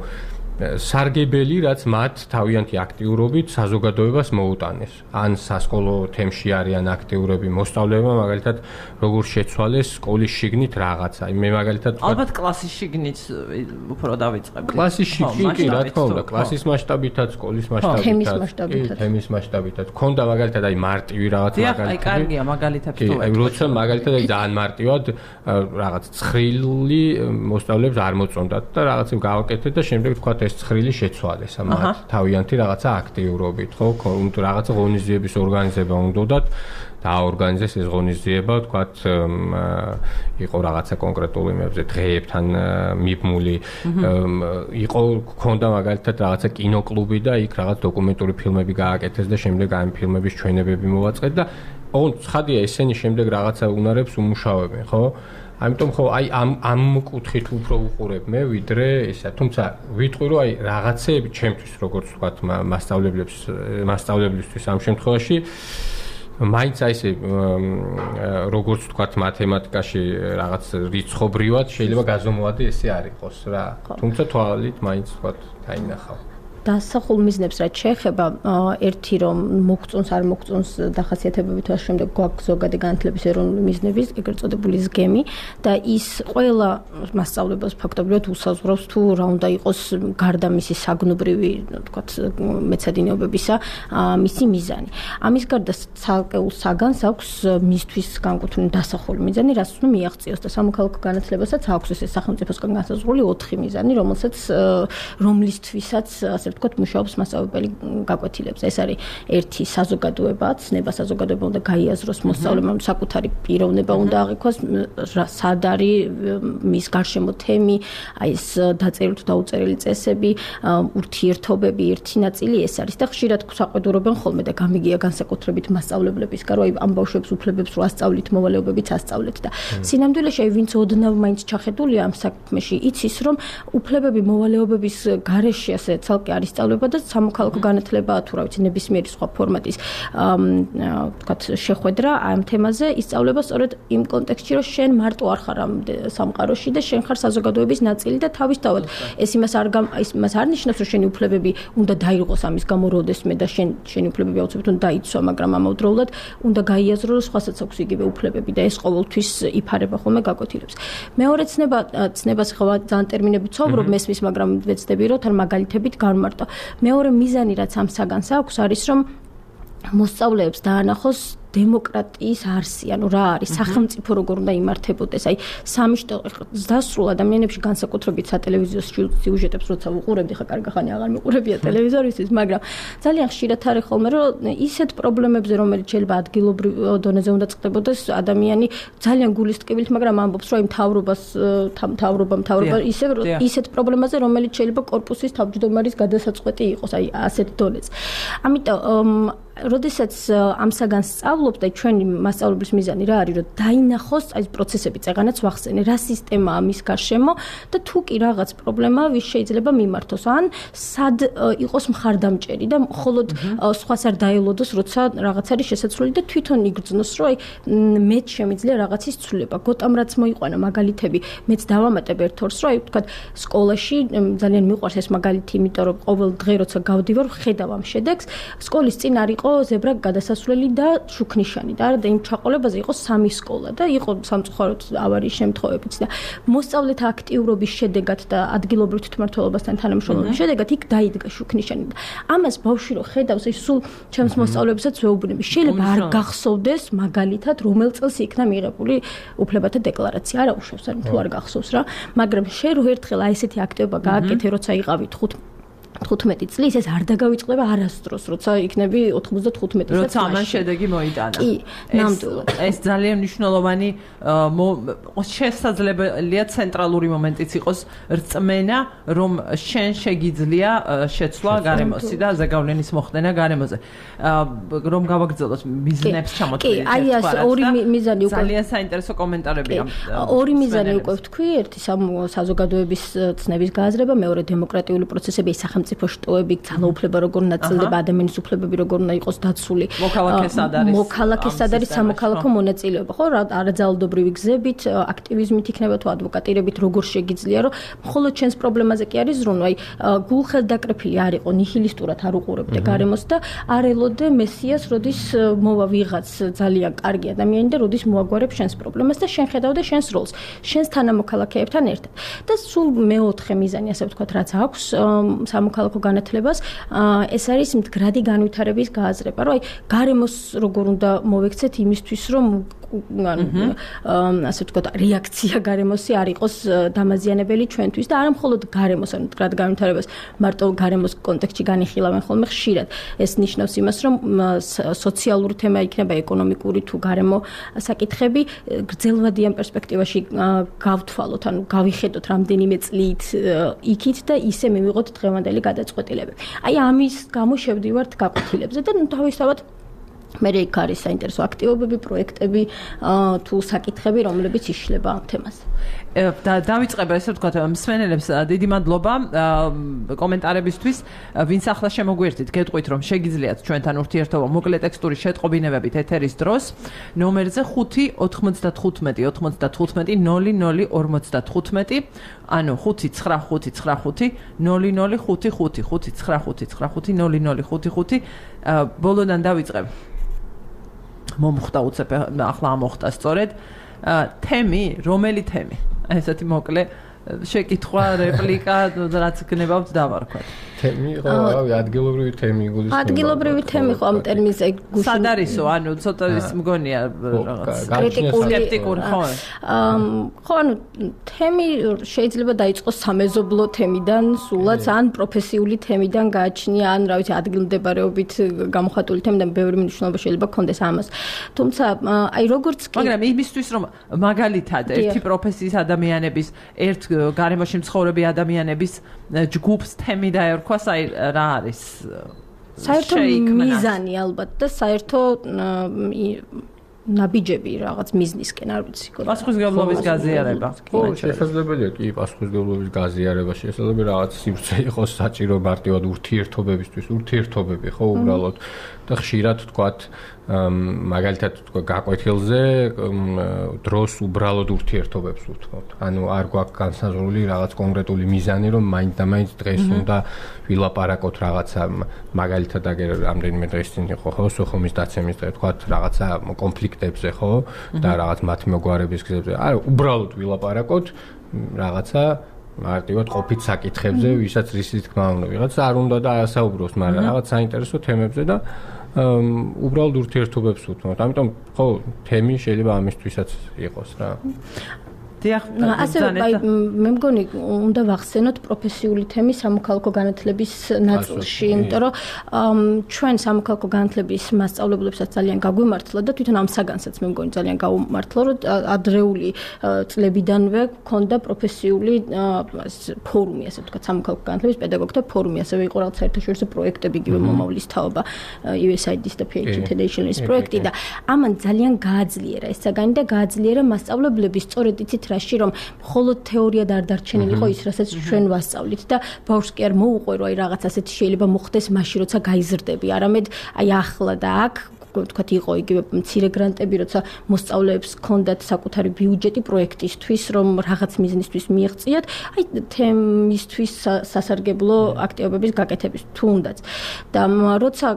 სარგებელი რაც მათ თავიანთი აქტიურობით საზოგადოებას მოუტანეს. ან სასკოლო თემში არიან აქტიურები მოსწავლეებმა მაგალითად როგორ შეცვალეს სკოლის შიგნით რაღაცა. მე მაგალითად ალბათ კლასის შიგნით უფრო დავიწყებდი. კლასის შიგნით რა თქმა უნდა, კლასის მასშტაბითაც, სკოლის მასშტაბითაც, თემის მასშტაბითაც. ქონდა მაგალითად აი მარტივი რაღაც მაგალითად. აი კარგია მაგალითად თუ აი როცა მაგალითად აი ძალიან მარტივად რაღაც ცხრილი მოსწავლეებს არ მოწონდათ და რაღაცებს გავაკეთეთ და შემდეგ თქვა ეს ცხრილი შეცვალეს ამათ თავიანთი რაღაცა აქტიურობით, ხო? უნდა რაღაცა ღონისძიების ორგანიზება უნდათ დააორგანიზეს ეს ღონისძიება, თქვათ იყო რაღაცა კონკრეტულ იმებზე დღეებთან მიბმული, იყო ქონდა მაგალითად რაღაცა კინოკლუბი და იქ რაღაც დოკუმენტური ფილმები გააკეთეს და შემდეგ ამ ფილმების ჩვენებები მოვაწყეთ და ოღონდ ცხადია ესენი შემდეგ რაღაცა უნარებს უმუშავებენ, ხო? ამიტომ ხო აი ამ ამ კუთხით უფრო უყურებ მე ვიდრე ისა თუმცა ვიტყვი რომ აი რაღაცეები ჩემთვის როგორც ვთქვათ მასწავლებლებს მასწავლებლისთვის ამ შემთხვევაში მაინც აი ესე როგორც ვთქვათ მათემატიკაში რაღაც რიცხობრივად შეიძლება გაზომვადი ესე არ იყოს რა თუმცა თვალით მაინც ვთქვათ დაინახავ დასახულ მიზნებს რაც შეეხება ერთი რომ მოგწონს არ მოგწონს დახასიათებებით ამ შემდეგ გვაქვს ზოგადი განათლების ეროვნული მიზნების ეგრეთ წოდებული ზგემი და ის ყველა მასწავლებლებს ფაქტობრივად უსაზღვრავს თუ რა უნდა იყოს გარდა მისი საგნობრივი თქვათ მეცადინეობებისა მისი მიზანი ამის გარდა ცალკეულ საგანს აქვს მისთვის განკუთვნილი დასახული მიზანი რაც უნდა მიაღწიოს და სამოქალაქო განათლებასაც აქვს ეს სახელმწიფოსგან განსაზღვრული ოთხი მიზანი რომელსაც რომლისთვისაც ასე ვთქვათ მუშაობს მასწავლებელი გაკვეთილებს. ეს არის ერთი საზოგადოება, ცნება საზოგადოება უნდა გაიაზროს მოსწავლემ, საკუთარი პიროვნება უნდა აღიქვას, სად არის მის გარშემო თემი, აი ეს დაწერილი თუ დაუწერილი წესები, ურთიერთობები, ერთი ნაწილი ეს არის და ხშირად საყვედურობენ ხოლმე და გამიგია განსაკუთრებით მასწავლებლებისგან, რომ აი ამ ბავშვებს უფლებებს რო ასწავლით, მოვალეობებიც ასწავლეთ და სინამდვილეში აი ვინც ოდნავ მაინც ჩახედულია ამ საქმეში, იცის რომ უფლებები მოვალეობების გარეშე ასე ცალკე არის სწავლება და სამოქალაქო განათლება თუ რა ვიცი ნებისმიერი სხვა ფორმატის ვთქვათ შეხვედრა ამ თემაზე ისწავლება სწორედ იმ კონტექსტში რომ შენ მარტო არ ხარ ამ სამყაროში და შენ ხარ საზოგადოების ნაწილი და თავისთავად ეს იმას არ იმას არ ნიშნავს რომ შენი უფლებები უნდა დაიღოს ამის გამო როდესმე და შენ შენი უფლებები აუცილებლად უნდა დაიცვა მაგრამ ამავდროულად უნდა გაიაზრო რომ სხვასაც აქვს იგივე უფლებები და ეს ყოველთვის იფარება ხოლმე გაკვეთილებს მეორე ცნება ცნებას ხვა ძალიან ტერმინები ცხოვრობ მესმის მაგრამ ვეცდები რომ თან მაგალითებით გამარტო მეორე მიზანი რაც ამ საგანს აქვს არის რომ მოსწავლეებს დაანახოს დემოკრატიის არსი, ანუ რა არის სახელმწიფო როგორ უნდა იმართებოდეს, აი სამიშტო დასრულ ადამიანებში განსაკუთრებით სატელევიზიო სიუჟეტებს როცა ვუყურებდი, ხა კარგი ხანი აღარ მიყურებია ტელევიზორისთვის, მაგრამ ძალიან ხშირად არის ხოლმე რომ ისეთ პრობლემებზე რომელიც შეიძლება ადგილობრივ დონეზე უნდა წყდებოდეს, ადამიანი ძალიან გულის ტკივილით, მაგრამ ამბობს რომ აი მთავრობას მთავრობა მთავრობა ისე ისეთ პრობლემაზე რომელიც შეიძლება კორპუსის თავმჯდომარის გადასაწყვეტი იყოს, აი ასეთ დონეზე. ამიტომ როდესაც ამ საგანს სწავლობ ვსწავლობთ და ჩვენი მასწავლებლის მიზანი რა არის, რომ დაინახოს აი პროცესები, წეგანაც ვახსენე, რა სისტემაა მის გარშემო და თუ კი რაღაც პრობლემა ვის შეიძლება მიმართოს, ან სად იყოს მხარდამჭერი და მხოლოდ სხვას არ დაელოდოს, როცა რაღაც არის შესაძლებელი და თვითონ იგრძნოს, რომ აი მეც შემიძლია რაღაცის ცვლილება. გოტამ რაც მოიყვანა მაგალითები, მეც დავამატებ ერთ ორს, რომ აი ვთქვათ, სკოლაში ძალიან მიყვარს ეს მაგალითი, იმიტომ რომ ყოველ დღე როცა გავდივარ, ხედავ ამ შედეგს, სკოლის წინ არ იყო ზებრა გადასასვლელი და შუქნიშანი და არა და იმ ჩაყოლებაზე იყო სამი სკოლა და იყო სამწუხაროდ ავარიის შემთხვევებიც და მოსწავლეთა აქტიურობის შედეგად და ადგილობრივ თვითმმართველობასთან თანამშრომლობის შედეგად იქ დაიდგა შუქნიშანი და ამას ბავშვი რო ხედავს, ის სულ ჩემს მოსწავლებსაც ვეუბნები. შეიძლება არ გახსოვდეს მაგალითად რომელ წელს იქნა მიღებული უფლებათა დეკლარაცია, არა უშავს, ანუ თუ არ გახსოვს რა, მაგრამ შენ რო ერთხელ აი ესეთი აქტივობა გააკეთე, როცა იყავი თხუთმეტი წლის, ეს არ დაგავიწყდება არასდროს, როცა იქნები ოთხმოცდათხუთმეტი წლის. როცა ამან შედეგი მოიტანა. კი, ნამდვილად. ეს ძალიან მნიშვნელოვანი შესაძლებელია ცენტრალური მომენტიც იყოს რწმენა, რომ შენ შეგიძლია შეცვლა გარემოსი და ზეგავლენის მოხდენა გარემოზე. რომ გავაგრძელოთ მიზნებს ჩამოთვლილი. კი, აი ეს ორი მიზანი უკვე ძალიან საინტერესო კომენტარები ამ. ორი მიზანი უკვე ვთქვი, ერთი საზოგადოების ცნების გააზრება, მეორე დემოკრატიული პროცესები, სახელმწიფო შტოები, ძალაუფლება როგორ ნაწილდება, ადამიანის უფლებები როგორ უნდა იყოს დაცული. მოქალაქესად არის. მოქალაქესად არის სამოქალაქო მონაწილეობა, ხო? არაძალადობრივი გზებით, აქტივიზმით იქნება თუ ადვოკატირებით როგორ შეგიძლია, რომ მხოლოდ ჩვენს პრობლემაზე კი არის ზრუნვა. აი გულხელდაკრეფილი არ იყო, ნიჰილისტურად არ უყურებდე გარემოს და არ ელოდე მესიას, როდის მოვა ვიღაც ძალიან კარგი ადამიანი და როდის მოაგვარებს შენს პრობლემას და შენ ხედავდე შენს როლს, შენს თანამოქალაქეებთან ერთად. და სულ მეოთხე მიზანი, ასე ვთქვათ, რაც აქვს სამოქალაქო განათლებას, ეს არის მდგრადი განვითარების გააზრება, რომ აი გარემოს როგორ უნდა მოვექცეთ იმისთვის, რომ ასე ვთქვათ, რეაქცია გარემოსი არ იყოს დამაზიანებელი ჩვენთვის და არა მხოლოდ გარემოს, ანუ მდგრად განვითარებას მარტო გარემოს კონტექსტში განიხილავენ ხოლმე ხშირად. ეს ნიშნავს იმას, რომ სოციალური თემა იქნება ეკონომიკური თუ გარემო საკითხები გრძელვადიან პერსპექტივაში გავთვალოთ, ანუ გავიხედოთ რამდენიმე წლით იქით და ისე მივიღოთ დღევანდელი გადაწყვეტილებები. აი ამის გამო შევდივართ გაკვეთილებზე და თავისთავად მე იქ არის საინტერესო აქტივობები, პროექტები თუ საკითხები, რომლებიც იშლება ამ თემაზე. და დავიწყებ ესე ვთქვათ, მსმენელებს დიდი მადლობა კომენტარებისთვის, ვინც ახლა შემოგვიერთით, გეტყვით რომ შეგიძლიათ ჩვენთან ურთიერთობა მოკლე ტექსტური შეტყობინებებით ეთერის დროს ნომერზე ხუთი ოთხმოცდათხუთმეტი ოცდათხუთმეტი ნოლი ნოლი ორმოცდათხუთმეტი, ანუ ხუთი ცხრა ხუთი ცხრა ხუთი ნოლი ნოლი ხუთი ხუთი ხუთი ცხრა ხუთი ცხრა ხუთი ნოლი ნოლი ხუთი ხუთი. ბოლოდან დავიწყებ. მომხდა უცებ ახლა ამოხდა სწორედ თემი, რომელი თემი? ესეთი მოკლე შეკითხვა, რეპლიკა, რაც გნებავთ დავარქვათ. თემი ხო, რავი, ადგილობრივი თემი გულისხმობა. ადგილობრივი თემი ხო ამ ტერმინზე გუშინ. სად არისო, ანუ ცოტა ის მგონია რაღაც კრიტიკული ხო? ხო, ანუ თემი შეიძლება დაიწყოს სამეზობლო თემიდან, სულაც ან პროფესიული თემიდან გააჩნია, ან რა ვიცი, ადგილმდებარეობით გამოხატული თემიდან ბევრი მნიშვნელობა შეიძლება გქონდეს ამას. თუმცა, აი როგორც კი მაგრამ იმისთვის რომ მაგალითად ერთი პროფესიის ადამიანების, ერთ გარემოში მცხოვრები ადამიანების ჯგუფს თემი დაერქვას, აი რა არის საერთო მიზანი ალბათ და საერთო ნაბიჯები რაღაც მიზნისკენ არ ვიცი. პასუხისმგებლობის გაზიარება. ხო, შესაძლებელია კი პასუხისმგებლობის გაზიარება, შესაძლებელია რაღაც სივრცე იყოს საჭირო მარტივად ურთიერთობებისთვის, ურთიერთობები ხო უბრალოდ და ხშირად თქვათ მაგალითად თქვა გაკვეთილზე დროს უბრალოდ ურთიერთობებს ვთქვათ. ანუ არ გვაქვს განსაზღვრული რაღაც კონკრეტული მიზანი, რომ მაინც და მაინც დღეს უნდა ვილაპარაკოთ რაღაცა, მაგალითად აგერ რამდენიმე დღის წინ იყო ხო სოხუმის დაცემის დღე, თქვათ რაღაცა კონფლიქტებზე ხო და რაღაც მათი მოგვარების გზებზე. არა, უბრალოდ ვილაპარაკოთ რაღაცა მარტივად ყოფით საკითხებზე, ვისაც რისი თქმა უნდა, ვიღაც არ უნდა და ასაუბროს, მაგრამ რაღაც საინტერესო თემებზე და უბრალოდ ურთიერთობებს ვუთმოთ. ამიტომ ხო, თემი შეიძლება ამისთვისაც იყოს რა. დიახ, ასე აი მე მგონი უნდა ვახსენოთ პროფესიული თემი სამოქალაქო განათლების ნაწილში, იმიტომ რომ ჩვენ სამოქალაქო განათლების მასწავლებლებსაც ძალიან გაგვიმართლა და თვითონ ამ საგანსაც მე მგონი ძალიან გაუმართლა, რომ ადრეული წლებიდანვე გქონდა პროფესიული ფორუმი, ასე ვთქვათ, სამოქალაქო განათლების პედაგოგთა ფორუმი, ასევე იყო რაღაც საერთაშორისო პროექტები, იგივე მომავლის თაობა, იუ ეს აი დი-ის და პი ეიჩ დი International-ის პროექტი და ამან ძალიან გააძლიერა ეს საგანი და გააძლიერა მასწავლებლების სწორედ იცით რაში რომ მხოლოდ თეორია და არ დარჩენილიყო ის რასაც ჩვენ ვასწავლით და ბავშვს კი არ მოუყვერო აი რაღაც ასეთი შეიძლება მოხდეს მაშინ როცა გაიზრდები არამედ აი ახლა და აქ თქვათ იყო იგივე მცირე გრანტები როცა მოსწავლეებს ჰქონდათ საკუთარი ბიუჯეტი პროექტისთვის რომ რაღაც მიზნისთვის მიიღწიათ აი თემისთვის სასარგებლო აქტივობების გაკეთების თუნდაც და როცა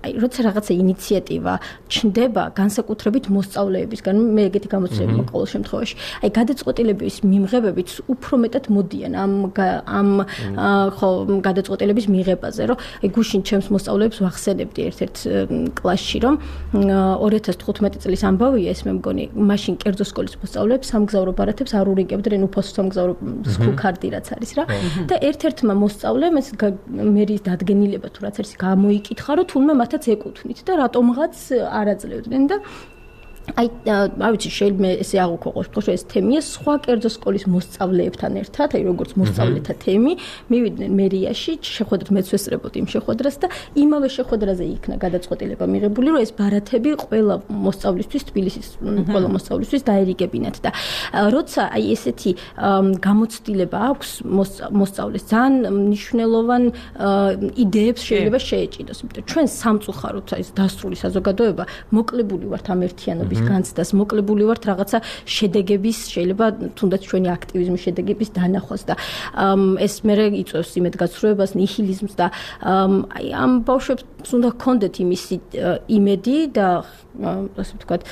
აი როცა რაღაცა ინიციატივა ჩნდება განსაკუთრებით მოსწავლეებისგან მე ეგეთი გამოცდილება მაქვს ყოველ შემთხვევაში აი გადაწყვეტილების მიმღებებიც უფრო მეტად მოდიან ამ ამ ხო გადაწყვეტილების მიღებაზე რომ აი გუშინ ჩემს მოსწავლეებს ვახსენებდი ერთ-ერთ კლასში რომ ორი ათას თხუთმეტი წლის ამბავია ეს მე მგონი მაშინ კერძო სკოლის მოსწავლეებს სამგზავრო ბარათებს არ ურიგებდნენ უფასო სამგზავრო სკულ კარდი რაც არის რა და ერთ-ერთმა მოსწავლემ ეს მერის დადგენილება თუ რაც არის გამოიკითხა რომ თულმე მათ ეკუთვნით და რატომღაც არ აძლევდნენ და აი არ ვიცი შეიძლება ესე აღუქო ყოველთვის ეს თემია სხვა კერძო სკოლის მოსწავლეებთან ერთად აი როგორც მოსწავლეთა თემი მივიდნენ მერიაში შეხვედრად მეც ვესწრებოდი იმ შეხვედრას და იმავე შეხვედრაზე იქნა გადაწყვეტილება მიღებული რომ ეს ბარათები ყველა მოსწავლისთვის თბილისის ყველა მოსწავლისთვის დაერიგებინათ და როცა აი ესეთი გამოცდილება აქვს მოსწავლეს ძალიან მნიშვნელოვან იდეებს შეიძლება შეეჭიდოს იმიტომ ჩვენ სამწუხაროდ აი ეს დასრული საზოგადოება მოკლებული ვართ ამ ერთიანობის განცდას მოკლებული ვართ რაღაცა შედეგების შეიძლება თუნდაც ჩვენი აქტივიზმის შედეგების დანახვას და ეს მერე იწვევს იმედგაცრუებას ნიჰილიზმს და აი ამ ბავშვებს უნდა ჰქონდეთ იმისი იმედი და ასე ვთქვათ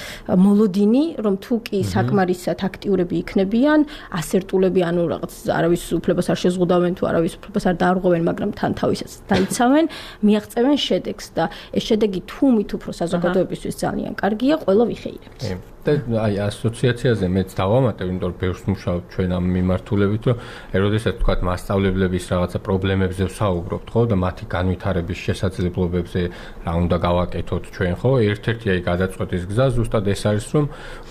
მოლოდინი რომ თუ კი საკმარისად აქტიურები იქნებიან ასერტულები ანუ რაღაც არავის უფლებას არ შეზღუდავენ თუ არავის უფლებას არ დაარღვევენ მაგრამ თან თავისაც დაიცავენ მიაღწევენ შედეგს და ეს შედეგი თუ მით უფრო საზოგადოებისთვის ძალიან კარგია ყველა ვიხეირებთ და აი ასოციაციაზე მეც დავამატებ, იმიტომ რომ ბევრს მუშაობ ჩვენ ამ მიმართულებით, რომ აი როდესაც თქვათ მასწავლებლების რაღაცა პრობლემებზე ვსაუბრობთ, ხო, და მათი განვითარების შესაძლებლობებზე რა უნდა გავაკეთოთ ჩვენ, ხო? ერთ-ერთი აი გადაწყვეტის გზა ზუსტად ეს არის, რომ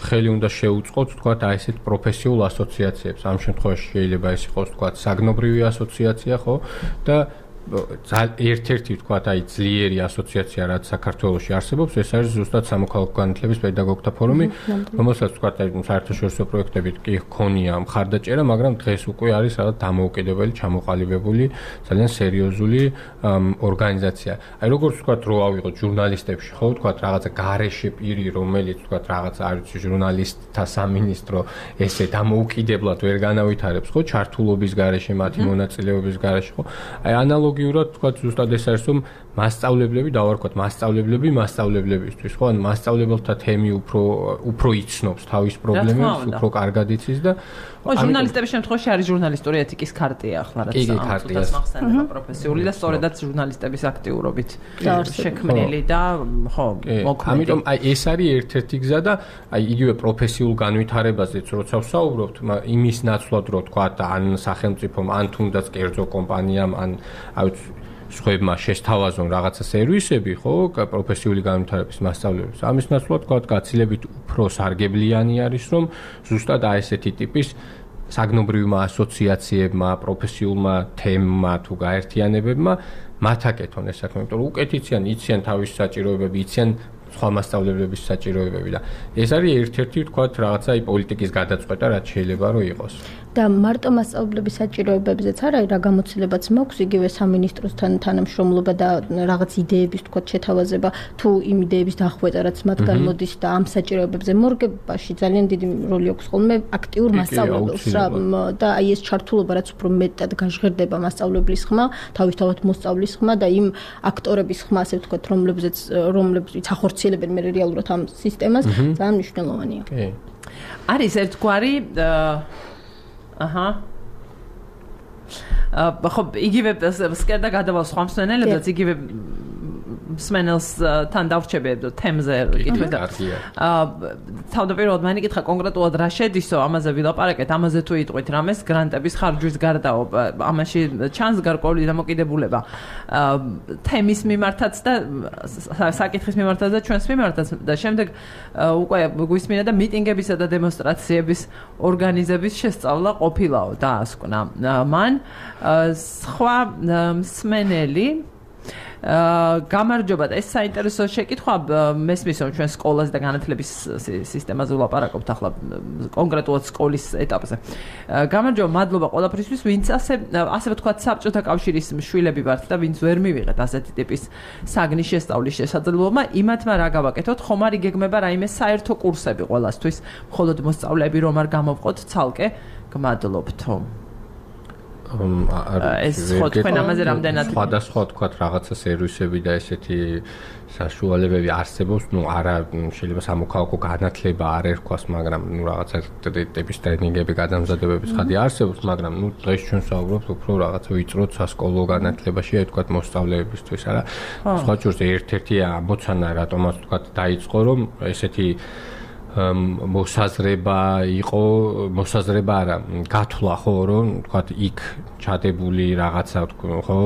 ხელი უნდა შეუწყოთ, თქვათ, აი ესეთ პროფესიულ ასოციაციებს. ამ შემთხვევაში შეიძლება ეს იყოს, თქვათ, საგნობრივი ასოციაცია, ხო? და ერთ-ერთი თქვათ აი ძლიერი ასოციაცია რაც საქართველოში არსებობს ეს არის ზუსტად სამოქალაქო განათლების პედაგოგთა ფორუმი რომელსაც თქვათ აი საერთაშორისო პროექტებით კი ჰქონია მხარდაჭერა მაგრამ დღეს უკვე არის რაღაც დამოუკიდებელი ჩამოყალიბებული ძალიან სერიოზული ორგანიზაცია აი როგორც თქვათ რო ავიღოთ ჟურნალისტებში ხო თქვათ რაღაცა გარეშე პირი რომელიც თქვათ რაღაცა არ ვიცი ჟურნალისტთა სამინისტრო ესე დამოუკიდებლად ვერ განავითარებს ხო ჩართულობის გარეშე მათი მონაწილეობის გარეშე ხო აი ანალოგ გიურად თქვათ ზუსტად ეს არის რომ მასწავლებლები დავარქვათ მასწავლებლები მასწავლებლებისთვის ხო ან მასწავლებელთა თემი უფრო უფრო იცნობს თავის პრობლემებს უფრო კარგად იცის და ო ჟურნალისტების შემთხვევაში არის ჟურნალისტური ეთიკის ქარტია ახლა რაც ამას მახსენდება პროფესიული და სწორედაც ჟურნალისტების აქტიურობით შექმნილი და ხო მოქმედი ამიტომ აი ეს არის ერთ-ერთი გზა და აი იგივე პროფესიულ განვითარებაზეც როცა ვსაუბრობთ იმის ნაცვლად რო თქვათ ან სახელმწიფომ ან თუნდაც კერძო კომპანიამ ან აუც სხვებმა შესთავაზონ რაღაცა სერვისები, ხო, პროფესიული განვითარების მასწავლებლებს. ამის ნაცვლად თქვათ, გაცილებით უფრო სარგებლიანი არის, რომ ზუსტად აი ესეთი ტიპის საგნობრივმა ასოციაციებმა, პროფესიულმა თემმა თუ გაერთიანებებმა მათ აკეთონ ეს საქმე, იმიტომ რომ უკეთ იციან, იციან თავის საჭიროებები, იციან სხვა მასწავლებლების საჭიროებები და ეს არის ერთ-ერთი თქვათ რაღაცა აი პოლიტიკის გადაწყვეტა, რაც შეიძლება რომ იყოს. და მარტო მასწავლებლების საჭიროებებზეც არა, რა გამოცდილებაც მაქვს, იგივე სამინისტროსთან თანამშრომლობა და რაღაც იდეების თქვათ შეთავაზება, თუ იმ იდეების დახვეწა, რაც მათგან მოდის და ამ საჭიროებებზე მორგებაში ძალიან დიდი როლი აქვს ხოლმე აქტიურ მასწავლებელს რა და აი ეს ჩართულობა, რაც უფრო მეტად გაჟღერდება მასწავლებლის ხმა, თავისთავად მოსწავლის ხმა და იმ აქტორების ხმა, ასე ვთქვათ, რომლებზეც რომლებიც ახორციელებენ მე რეალურად ამ სისტემას, ძალიან მნიშვნელოვანია. კი. არის ერთგვარი აჰა ხო იგივე სკერდა გადავალ სხვა მსმენელებსაც იგივე მსმენელს თან დავრჩები თემზე კითხვით და თავდაპირველად მან იკითხა კონკრეტულად რა შედისო, ამაზე ვილაპარაკეთ, ამაზე თუ იტყვით რამეს გრანტების ხარჯვის გარდაო, ამაში ჩანს გარკვეული დამოკიდებულება თემის მიმართაც და საკითხის მიმართაც და ჩვენს მიმართაც და შემდეგ უკვე გვისმინა და მიტინგებისა და დემონსტრაციების ორგანიზების შესწავლა ყოფილაო დაასკვნა მან სხვა მსმენელი გამარჯობა და ეს საინტერესო შეკითხვა მესმის რომ ჩვენ სკოლას და განათლების სისტემაზე ვლაპარაკობთ ახლა კონკრეტულად სკოლის ეტაპზე. გამარჯობა, მადლობა ყველაფრისთვის, ვინც ასე ასე ვთქვათ საბჭოთა კავშირის მშვილები ვართ და ვინც ვერ მივიღეთ ასეთი ტიპის საგნის შესწავლის შესაძლებლობა, იმათმა რა გავაკეთოთ, ხომ არ იგეგმება რაიმე საერთო კურსები ყველასთვის, მხოლოდ მოსწავლეები რომ არ გამოვყოთ ცალკე, გმადლობთო. ეს ხო თქვენ ამაზე რამდენად სხვადასხვა თქვათ რაღაცა სერვისები და ესეთი საშუალებები არსებობს, ну არა შეიძლება სამოქალაქო განათლება არ ერქვას, მაგრამ ну რაღაცა ტიპის ტრენინგები, გადამზადებების ხადი არსებობს, მაგრამ ну დღეს ჩვენ საუბრობთ უფრო რაღაცა ვიწრო სასკოლო განათლებაში, აი თქვათ მოსწავლეებისთვის, არა? სხვა ჯერს ერთ-ერთი ამოცანა რატომაც თქვათ დაიწყო, რომ ესეთი მოსაზრება იყო, მოსაზრება არა, გათვლა ხო, რომ თქვათ იქ ჩადებული რაღაცა ხო,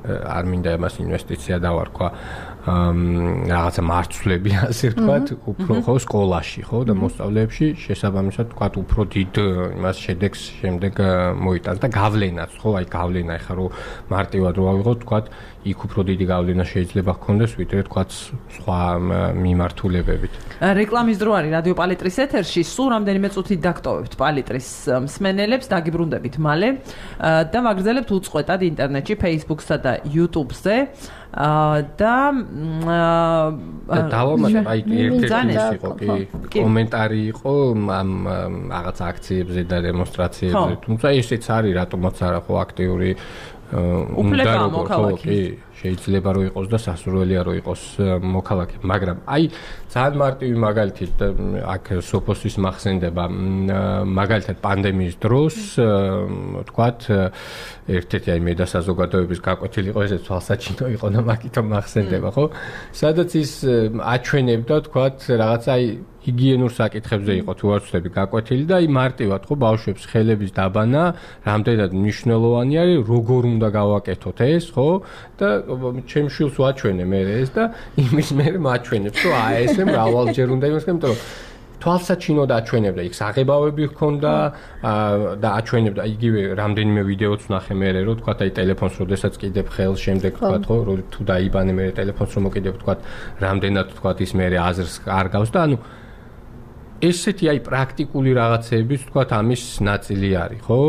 არ მინდა იმას ინვესტიცია დავარქვა, რაღაცა მარცვლები ასე ვთქვათ, უფრო ხო სკოლაში ხო და მოსწავლეებში შესაბამისად თქვათ უფრო დიდ იმას შედეგს შემდეგ მოიტანს და გავლენაც ხო, აი გავლენა ეხლა რომ მარტივად რო ავიღოთ თქვათ იქ უფრო დიდი გავლენა შეიძლება ჰქონდეს ვიდრე თქვათ სხვა მიმართულებებით. რეკლამის დრო არის რადიო პალიტრის ეთერში, სულ რამდენიმე წუთით დაგტოვებთ პალიტრის მსმენელებს, დაგიბრუნდებით მალე და ვაგრძელებთ უწყვეტად ინტერნეტში, Facebook-სა და YouTube-ზე. და დავამატებ აი ერთ-ერთი იყო კი კომენტარი იყო ამ რაღაც აქციებზე და დემონსტრაციებზე, თუმცა ესეც არის რატომაც არა ხო აქტიური უნდა რომ კი შეიძლება რომ იყოს და სასურველია რომ იყოს მოქალაქე, მაგრამ აი ძალიან მარტივი მაგალითით აქ სოფოსის მახსენდება მაგალითად პანდემიის დროს თქვათ ერთ-ერთი აი მე და საზოგადოების გაკვეთილი იყო ესე თვალსაჩინო იყო და მაგითო მახსენდება ხო, სადაც ის აჩვენებდა თქვათ რაღაცა აი ჰიგიენურ საკითხებზე იყო თუ არ ვცდები გაკვეთილი და აი მარტივად ხო ბავშვებს ხელების დაბანა რამდენად მნიშვნელოვანი არის, როგორ უნდა გავაკეთოთ ეს ხო და ჩემ შვილს ვაჩვენე მე ეს და იმის მე მაჩვენებს რომ აი ესე მრავალჯერ უნდა იმას, იმიტომ რომ თვალსაჩინო და აჩვენებდა იქ საღებავები ჰქონდა და აჩვენებდა იგივე რამდენიმე ვიდეოც ვნახე მე რომ თქვათ აი ტელეფონს როდესაც კიდებ ხელს შემდეგ თქვათ ხო რომ თუ დაიბანე მე ტელეფონს რომ მოკიდებ თქვათ რამდენად თქვათ ის მე აზრს კარგავს და ანუ ესეთი აი პრაქტიკული რაღაცებიც თქვათ ამის ნაწილი არის ხო?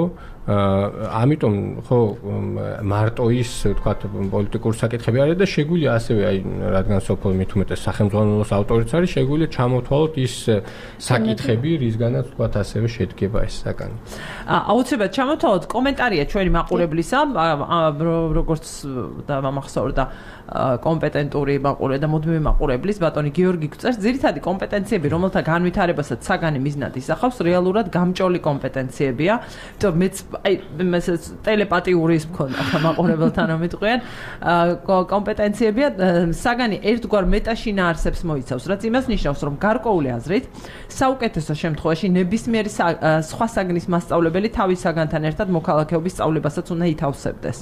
ამიტომ ხო მარტო ის თქვათ პოლიტიკური საკითხები არის და შეგვიძლია ასევე აი რადგან სოფო მით უმეტეს სახელმძღვანელოს ავტორიც არის, შეგვიძლია ჩამოთვალოთ ის საკითხები, რისგანაც თქვათ ასევე შედგება ეს საკანი. აუცილებლად ჩამოთვალოთ, კომენტარია ჩვენი მაყურებლისა, როგორც დამახსოვრდა კომპეტენტური მაყურებელი და მუდმივი მაყურებლის ბატონი გიორგი გწერს, ძირითადი კომპეტენციები, რომელთა განვითარებასაც საგანი მიზნად ისახავს, რეალურად გამჭოლი კომპეტენციებია. იმიტომ მეც აი მესაც ტელეპათიური ის მქონდა მაყურებელთან რომ იტყვიან კომპეტენციებია საგანი ერთგვარ მეტაშინაარსებს მოიცავს, რაც იმას ნიშნავს, რომ გარკვეული აზრით საუკეთესო შემთხვევაში ნებისმიერი სხვა საგნის მასწავლებელი თავის საგანთან ერთად მოქალაქეობის სწავლებასაც უნდა ითავსებდეს.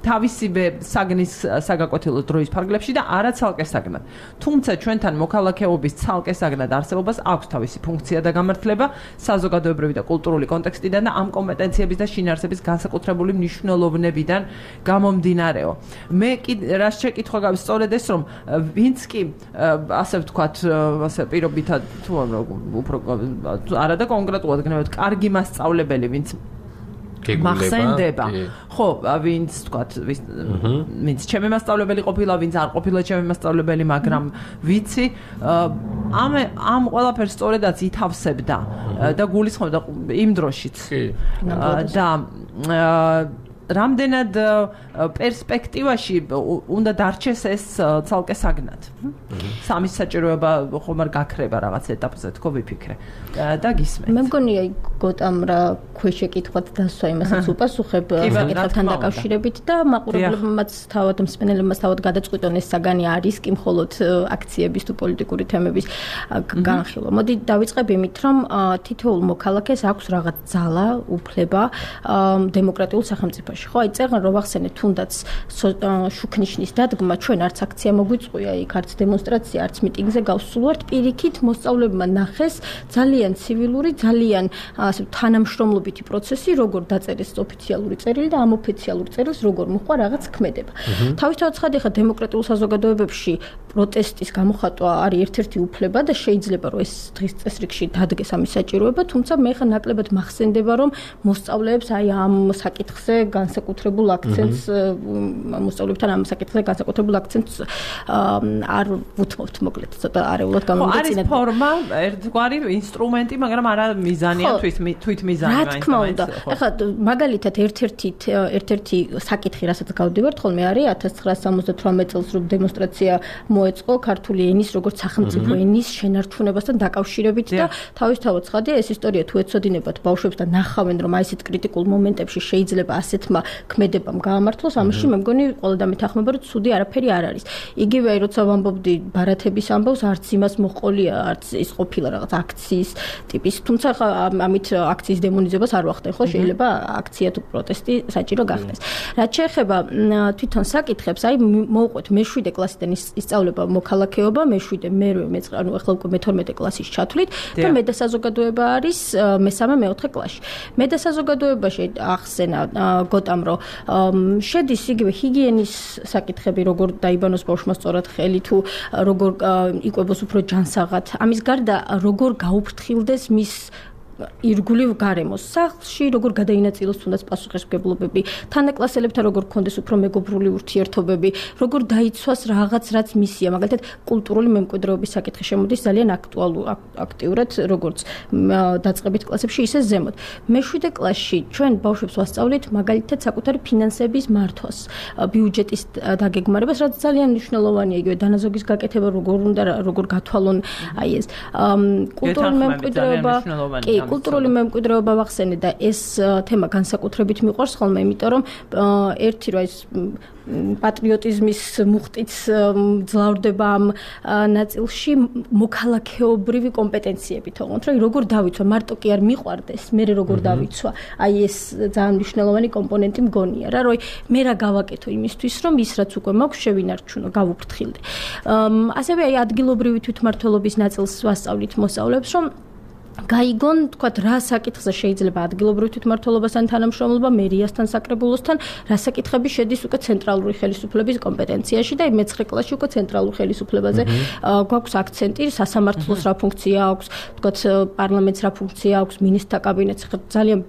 თავისივე საგნის საგაკვეთილო დროის ფარგლებში და არა ცალკე საგნად. თუმცა ჩვენთან მოქალაქეობის ცალკე საგნად არსებობას აქვს თავისი ფუნქცია და გამართლება საზოგადოებრივი და კულტურული კონტექსტიდან და ამ კომპეტენციების და შინაარსების განსაკუთრებული მნიშვნელობნებიდან გამომდინარეო. მე კი რას შეკითხვა გაქვს სწორედ ეს რომ ვინც კი ასე ვთქვათ ასე პირობითად თუ უფრო არა და კონკრეტულად გნებავთ კარგი მასწავლებელი ვინც მახსენდება ხო ვინც თქვათ ვინც ჩემი მასწავლებელი ყოფილა, ვინც არ ყოფილა ჩემი მასწავლებელი, მაგრამ ვიცი ამ ამ ყველაფერს სწორედაც ითავსებდა და გულისხმობდა იმ დროშიც და რამდენად პერსპექტივაში უნდა დარჩეს ეს ცალკე საგნად. სამის საჭიროება ხომ არ გაქრება რაღაც ეტაპზე, თქო ვიფიქრე და გისმენთ. მე მგონი აი გოტამ რა ქვეშეკითხვად დასვა იმასაც უპასუხებ საკითხებთან დაკავშირებით და მაყურებლებმაც თავად მსმენელებმაც თავად გადაწყვიტონ ეს საგანი არის კი მხოლოდ აქციების თუ პოლიტიკური თემების განხილვა. მოდი დავიწყებ იმით, რომ თითოეულ მოქალაქეს აქვს რაღაც ძალა, უფლება დემოკრატიულ სახელმწიფოში. ხო, აი წერან რომ ახსენეთ თუნდაც შუქნიშნის დადგმა, ჩვენ არც აქცია მოგვიწყვია, იქ არც დემონსტრაცია, არც მიტინგზე გავსულვართ, პირიქით მოსწავლეებმა ნახეს ძალიან ცივილური, ძალიან ასე თანამშრომლობითი პროცესი, როგორ დაწერეს ოფიციალური წერილი და ამ ოფიციალური წერილს როგორ მოხდა რაღაც ქმედება. თავისთავად ცხადი ხა დემოკრატიულ საზოგადოებებში პროტესტის გამოხატვა არის ერთ-ერთი უფლება და შეიძლება რომ ეს დღის წესრიგში დადგეს ამის საჭიროება, თუმცა მე ხა ნაკლებად მახსენდება რომ მოსწავლეებს აი ამ საკითხზე განსაკუთრებულ აქცენტს მოსწავლეებთან ამ საკითხზე განსაკუთრებულ აქცენტს არ ვუთმობთ მოკლედ ცოტა არეულად გამომიწინეთ. არის ფორმა, ერთგვარი ინსტრუმენტი, მაგრამ არა მიზანია თვით თვით მიზანი მაინც. რა თქმა უნდა. ეხლა მაგალითად ერთ-ერთი ერთ-ერთი საკითხი, რასაც გავდივართ ხოლმე არის ათას ცხრაასა სამოცდათვრამეტ წელს რომ დემონსტრაცია მოეწყო ქართული ენის როგორც სახელმწიფო ენის შენარჩუნებასთან დაკავშირებით და თავისთავად ცხადია ეს ისტორია თუ ეცოდინებათ ბავშვებს და ნახავენ რომ აი ესეთ კრიტიკულ მომენტებში შეიძლება ასეთმა ქმედებამ გაამართლოს, ამაში მე მგონი ყველა დამეთანხმება რომ ცუდი არაფერი არ არის. იგივე აი როცა ვამბობდი ბარათების ამბავს, არც იმას მოყოლია, არც ის ყოფილა რაღაც აქციის ტიპის, თუმცა ამით აქციის დემონიზებას არ ვახდენ, ხო, შეიძლება აქცია თუ პროტესტი საჭირო გახდეს. რაც შეეხება თვითონ საკითხებს, აი მოვყვეთ მეშვიდე კლასიდან ისწავლება მოქალაქეობა, მეშვიდე, მერვე, მეცხრე, ანუ ახლა უკვე მეთორმეტე კლასის ჩათვლით და მე და საზოგადოება არის მესამე, მეოთხე კლასში. მე და საზოგადოებაში ახსენა გოტამ რომ შედის იგივე ჰიგიენის საკითხები, როგორ დაიბანოს ბავშვმა სწორად ხელი თუ როგორ იკვებოს უფრო ჯანსაღად. ამის გარდა როგორ გაუფრთხილდეს მის ირგვლივ გარემოს სახლში, როგორ გადაინაწილოს თუნდაც პასუხისმგებლობები, თანაკლასელებთან როგორ გქონდეს უფრო მეგობრული ურთიერთობები, როგორ დაიცვას რაღაც რაც მისია, მაგალითად კულტურული მემკვიდრეობის საკითხი შემოდის ძალიან აქტუალურ აქტიურად, როგორც დაწყებით კლასებში, ისე ზემოთ. მეშვიდე კლასში ჩვენ ბავშვებს ვასწავლით მაგალითად საკუთარი ფინანსების მართვას, ბიუჯეტის დაგეგმარებას, რაც ძალიან მნიშვნელოვანია, იგივე დანაზოგის გაკეთება, როგორ უნდა როგორ გათვალონ აი ეს კულტურული მემკვიდრეობა, კი კულტურული მემკვიდრეობა ვახსენე და ეს თემა განსაკუთრებით მიყვარს ხოლმე, იმიტომ რომ ერთი რა ის პატრიოტიზმის მუხტიც ძლავრდება ამ ნაწილში მოქალაქეობრივი კომპეტენციები თողოთ, რომ როგორ დავიცვა, მარტო კი არ მიყვარდეს, მე როგორ დავიცვა, აი ეს ძალიან მნიშვნელოვანი კომპონენტი მგონია რა, რომ მე რა გავაკეთო იმისთვის, რომ ის რაც უკვე მაქვს შევინარჩუნო, გავუფრთხილდე. ასევე აი ადგილობრივი თვითმმართველობის ნაწილს ვასწავლით მოსწავლეებს, რომ გაიგონ, თქვათ, რა საკითხზე შეიძლება ადგილობრივ თვითმმართველობასთან თანამშრომლობა, მერიასთან, საკრებულოსთან, რა საკითხები შედის უკვე ცენტრალური ხელისუფლების კომპეტენციაში და მეცხრე კლასში უკვე ცენტრალურ ხელისუფლებაზე გვაქვს აქცენტი, სასამართლოს რა ფუნქცია აქვს, თქვათ, პარლამენტს რა ფუნქცია აქვს, მინისტრთა კაბინეტს. ძალიან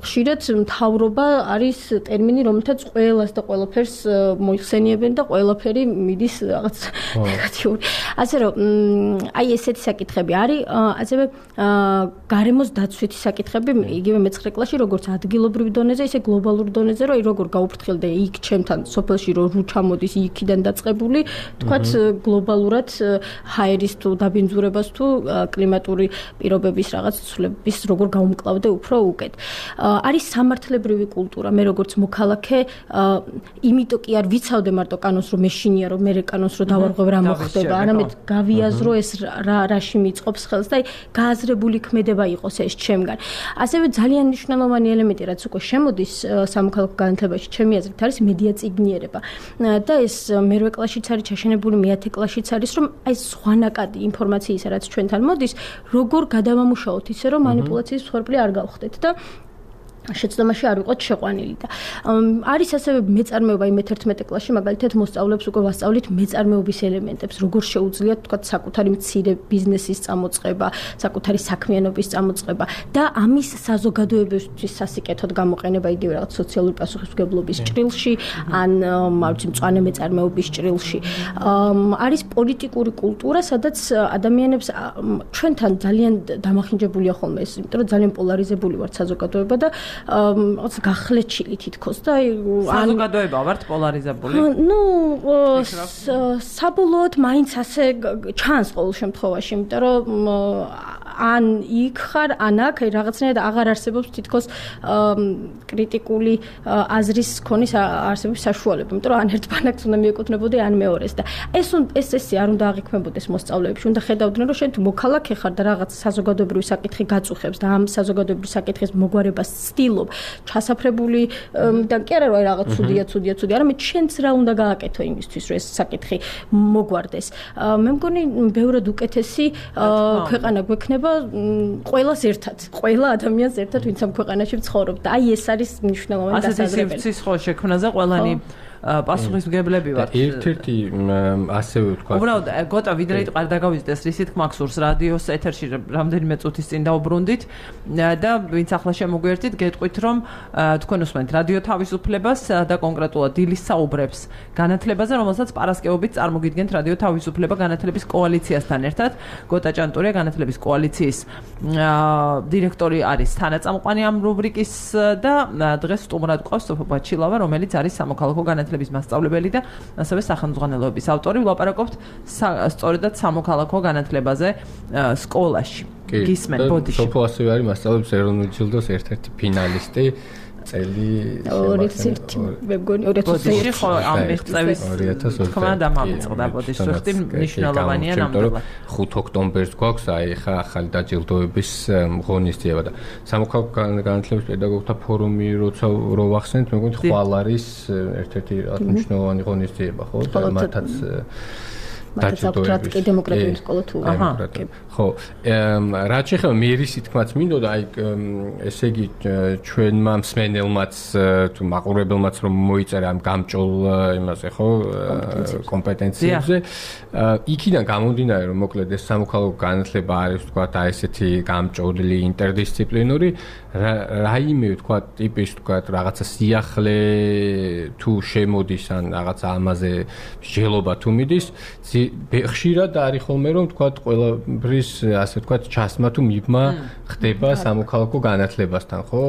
ხშირად მთავრობა არის ტერმინი, რომელთაც ყველას და ყველაფერს მოიხსენიებენ და ყველაფერი მიდის რაღაც ნეგატიური. ასე რომ, აი ესეთი საკითხები არის, ასევე გარემოს დაცვითი საკითხები, იგივე მეცხრე კლასში, როგორც ადგილობრივ დონეზე, ისე გლობალურ დონეზე, რომ როგორ გაუფრთხილდე იქ ჩემთან სოფელში, რომ რუ ჩამოდის იქიდან დაწყებული, თქვათ გლობალურად ჰაერის თუ დაბინძურებას თუ კლიმატური პირობების რაღაც ცვლილების როგორ გაუმკლავდე უფრო უკეთ. არის სამართლებრივი კულტურა, მე როგორც მოქალაქე, იმიტომ კი არ ვიცავდე მარტო კანონს, რომ მეშინია, რომ მე კანონს რო დავარღვევ რა მოხდება, არამედ გავიაზრო ეს რა რაში მიწყობს ხელს და გააზრებული ქმედება იყოს ეს ჩემგან. ასევე ძალიან მნიშვნელოვანი ელემენტი, რაც უკვე შემოდის სამოქალაქო განათლებაში, ჩემი აზრით, არის მედია წიგნიერება. და ეს მერვე კლასშიც არის ჩაშენებული, მეათე კლასშიც არის, რომ აი სხვანაკადი ინფორმაციისა, რაც ჩვენთან მოდის, როგორ გადავამუშაოთ ისე, რომ მანიპულაციის მსხვერპლი არ გავხდეთ და შეცდომაში არ ვიყოთ შეყვანილი და არის ასევე მეწარმეობა იმ მეთერთმეტე კლასში, მაგალითად მოსწავლეებს უკვე ვასწავლით მეწარმეობის ელემენტებს, როგორ შეუძლიათ თქვათ საკუთარი მცირე ბიზნესის წამოწყება, საკუთარი საქმიანობის წამოწყება და ამის საზოგადოებისთვის სასიკეთოდ გამოყენება, იგივე რაღაც სოციალური პასუხისმგებლობის ჭრილში, ან მარჯვ მწვანე მეწარმეობის ჭრილში. არის პოლიტიკური კულტურა, სადაც ადამიანებს ჩვენთან ძალიან დამახინჯებულია ხოლმე ეს, იმიტომ რომ ძალიან პოლარიზებული ვართ საზოგადოება და რაღაც გახლეჩილი თითქოს და საზოგადოება ვართ პოლარიზებული. ნუ საბოლოოდ მაინც ასე ჩანს ყოველ შემთხვევაში, იმიტომ რომ ან იქ ხარ, ან აქ რაღაცნაირად აღარ არსებობს თითქოს კრიტიკული აზრის ქონის არსებობის საშუალება, იმიტომ რომ ან ერთ ბანაკს უნდა მიეკუთვნებოდი, ან მეორეს და ეს ეს ესე არ უნდა აღიქმებოდეს მოსწავლეებში, უნდა ხედავდნენ, რომ შენ თუ მოქალაქე ხარ და რაღაც საზოგადოებრივი საკითხი გაწუხებს და ამ საზოგადოებრივი საკითხის მოგვარებას ცდილობ, ჩასაფრებული და კი არა რომ რაღაც ცუდია, ცუდია, ცუდია, არამედ შენც რა უნდა გააკეთო იმისთვის, რომ ეს საკითხი მოგვარდეს. მე მგონი ბევრად უკეთესი ქვეყანა გვექნება ყველას ერთად, ყველა ადამიანს ერთად, ვინც ამ ქვეყანაში ცხოვრობს და აი ეს არის მნიშვნელოვანი დასაზრებელი. ასეთი სივრცის ხო შექმნაზე ყველანი პასუხისმგებლები ვართ. ერთ-ერთი ასევე ვთქვა. უბრალოდ გოტა ვიდრე არ დაგავიწყდეს რისით მაქსურს რადიოს ეთერში რამდენიმე წუთის წინ დაუბრუნდით და ვინც ახლა შემოგვიერთით, გეტყვით რომ თქვენ უსმენთ რადიო თავისუფლებას და კონკრეტულად დილის საუბრებს განათლებაზე, რომელსაც პარასკევობით წარმოგიდგენთ რადიო თავისუფლება განათლების კოალიციასთან ერთად. გოტა ჭანტურია განათლების კოალიციის დირექტორი არის თანაწამყვანი ამ რუბრიკის და დღეს სტუმრად გვყავს სოფო ბაჩილავა, რომელიც არის სამოქალაქო განათლების მასწავლებელი და ასევე სახელმძღვანელოების ავტორი. ვლაპარაკობთ სწორედად სამოქალაქო განათლებაზე სკოლაში. გისმენ ბოდიში. სოფო ასევე არის მასწავლებლების ეროვნული ჯილდოს ერთ-ერთი ფინალისტი. წელი ორი წელი მე მგონი ორი ათასი ხო ამ წელს თქმა დამამწყდა ბოდიში ხტი მნიშვნელოვანია ნამდვილად. ხუთი ოქტომბერს გვაქვს აი ხა ახალი დაჯილდოების ღონისძიება და სამოქალაქო განათლების პედაგოგთა ფორუმი როცა რო ვახსენეთ, მე მგონი ხვალ არის ერთ-ერთი მნიშვნელოვანი ღონისძიება, ხო? მათაც დაჯილდოების კი დემოკრატიული სკოლა თუ ხო რაც შეეხება მერის თქმაც მინდოდა აი ესე იგი ჩვენმა მსმენელმაც თუ მაყურებელმაც რომ მოიწერა ამ გამჭოლ იმაზე ხო კომპეტენციებზე იქიდან გამომდინარე რომ მოკლედ ეს სამოქალაქო განათლება არის თქვა და ესეთი გამჭოლი ინტერდისციპლინური რაიმე თქვა ტიპის თქვა რაღაცა სიახლე თუ შემოდის ან რაღაცა ამაზე მსჯელობა თუ მიდის ხშირად არის ხოლმე რომ თქვა ყველაფრის ასე თქვა ჩასმა თუ მიბმა ხდება სამოქალაქო განათლებასთან ხო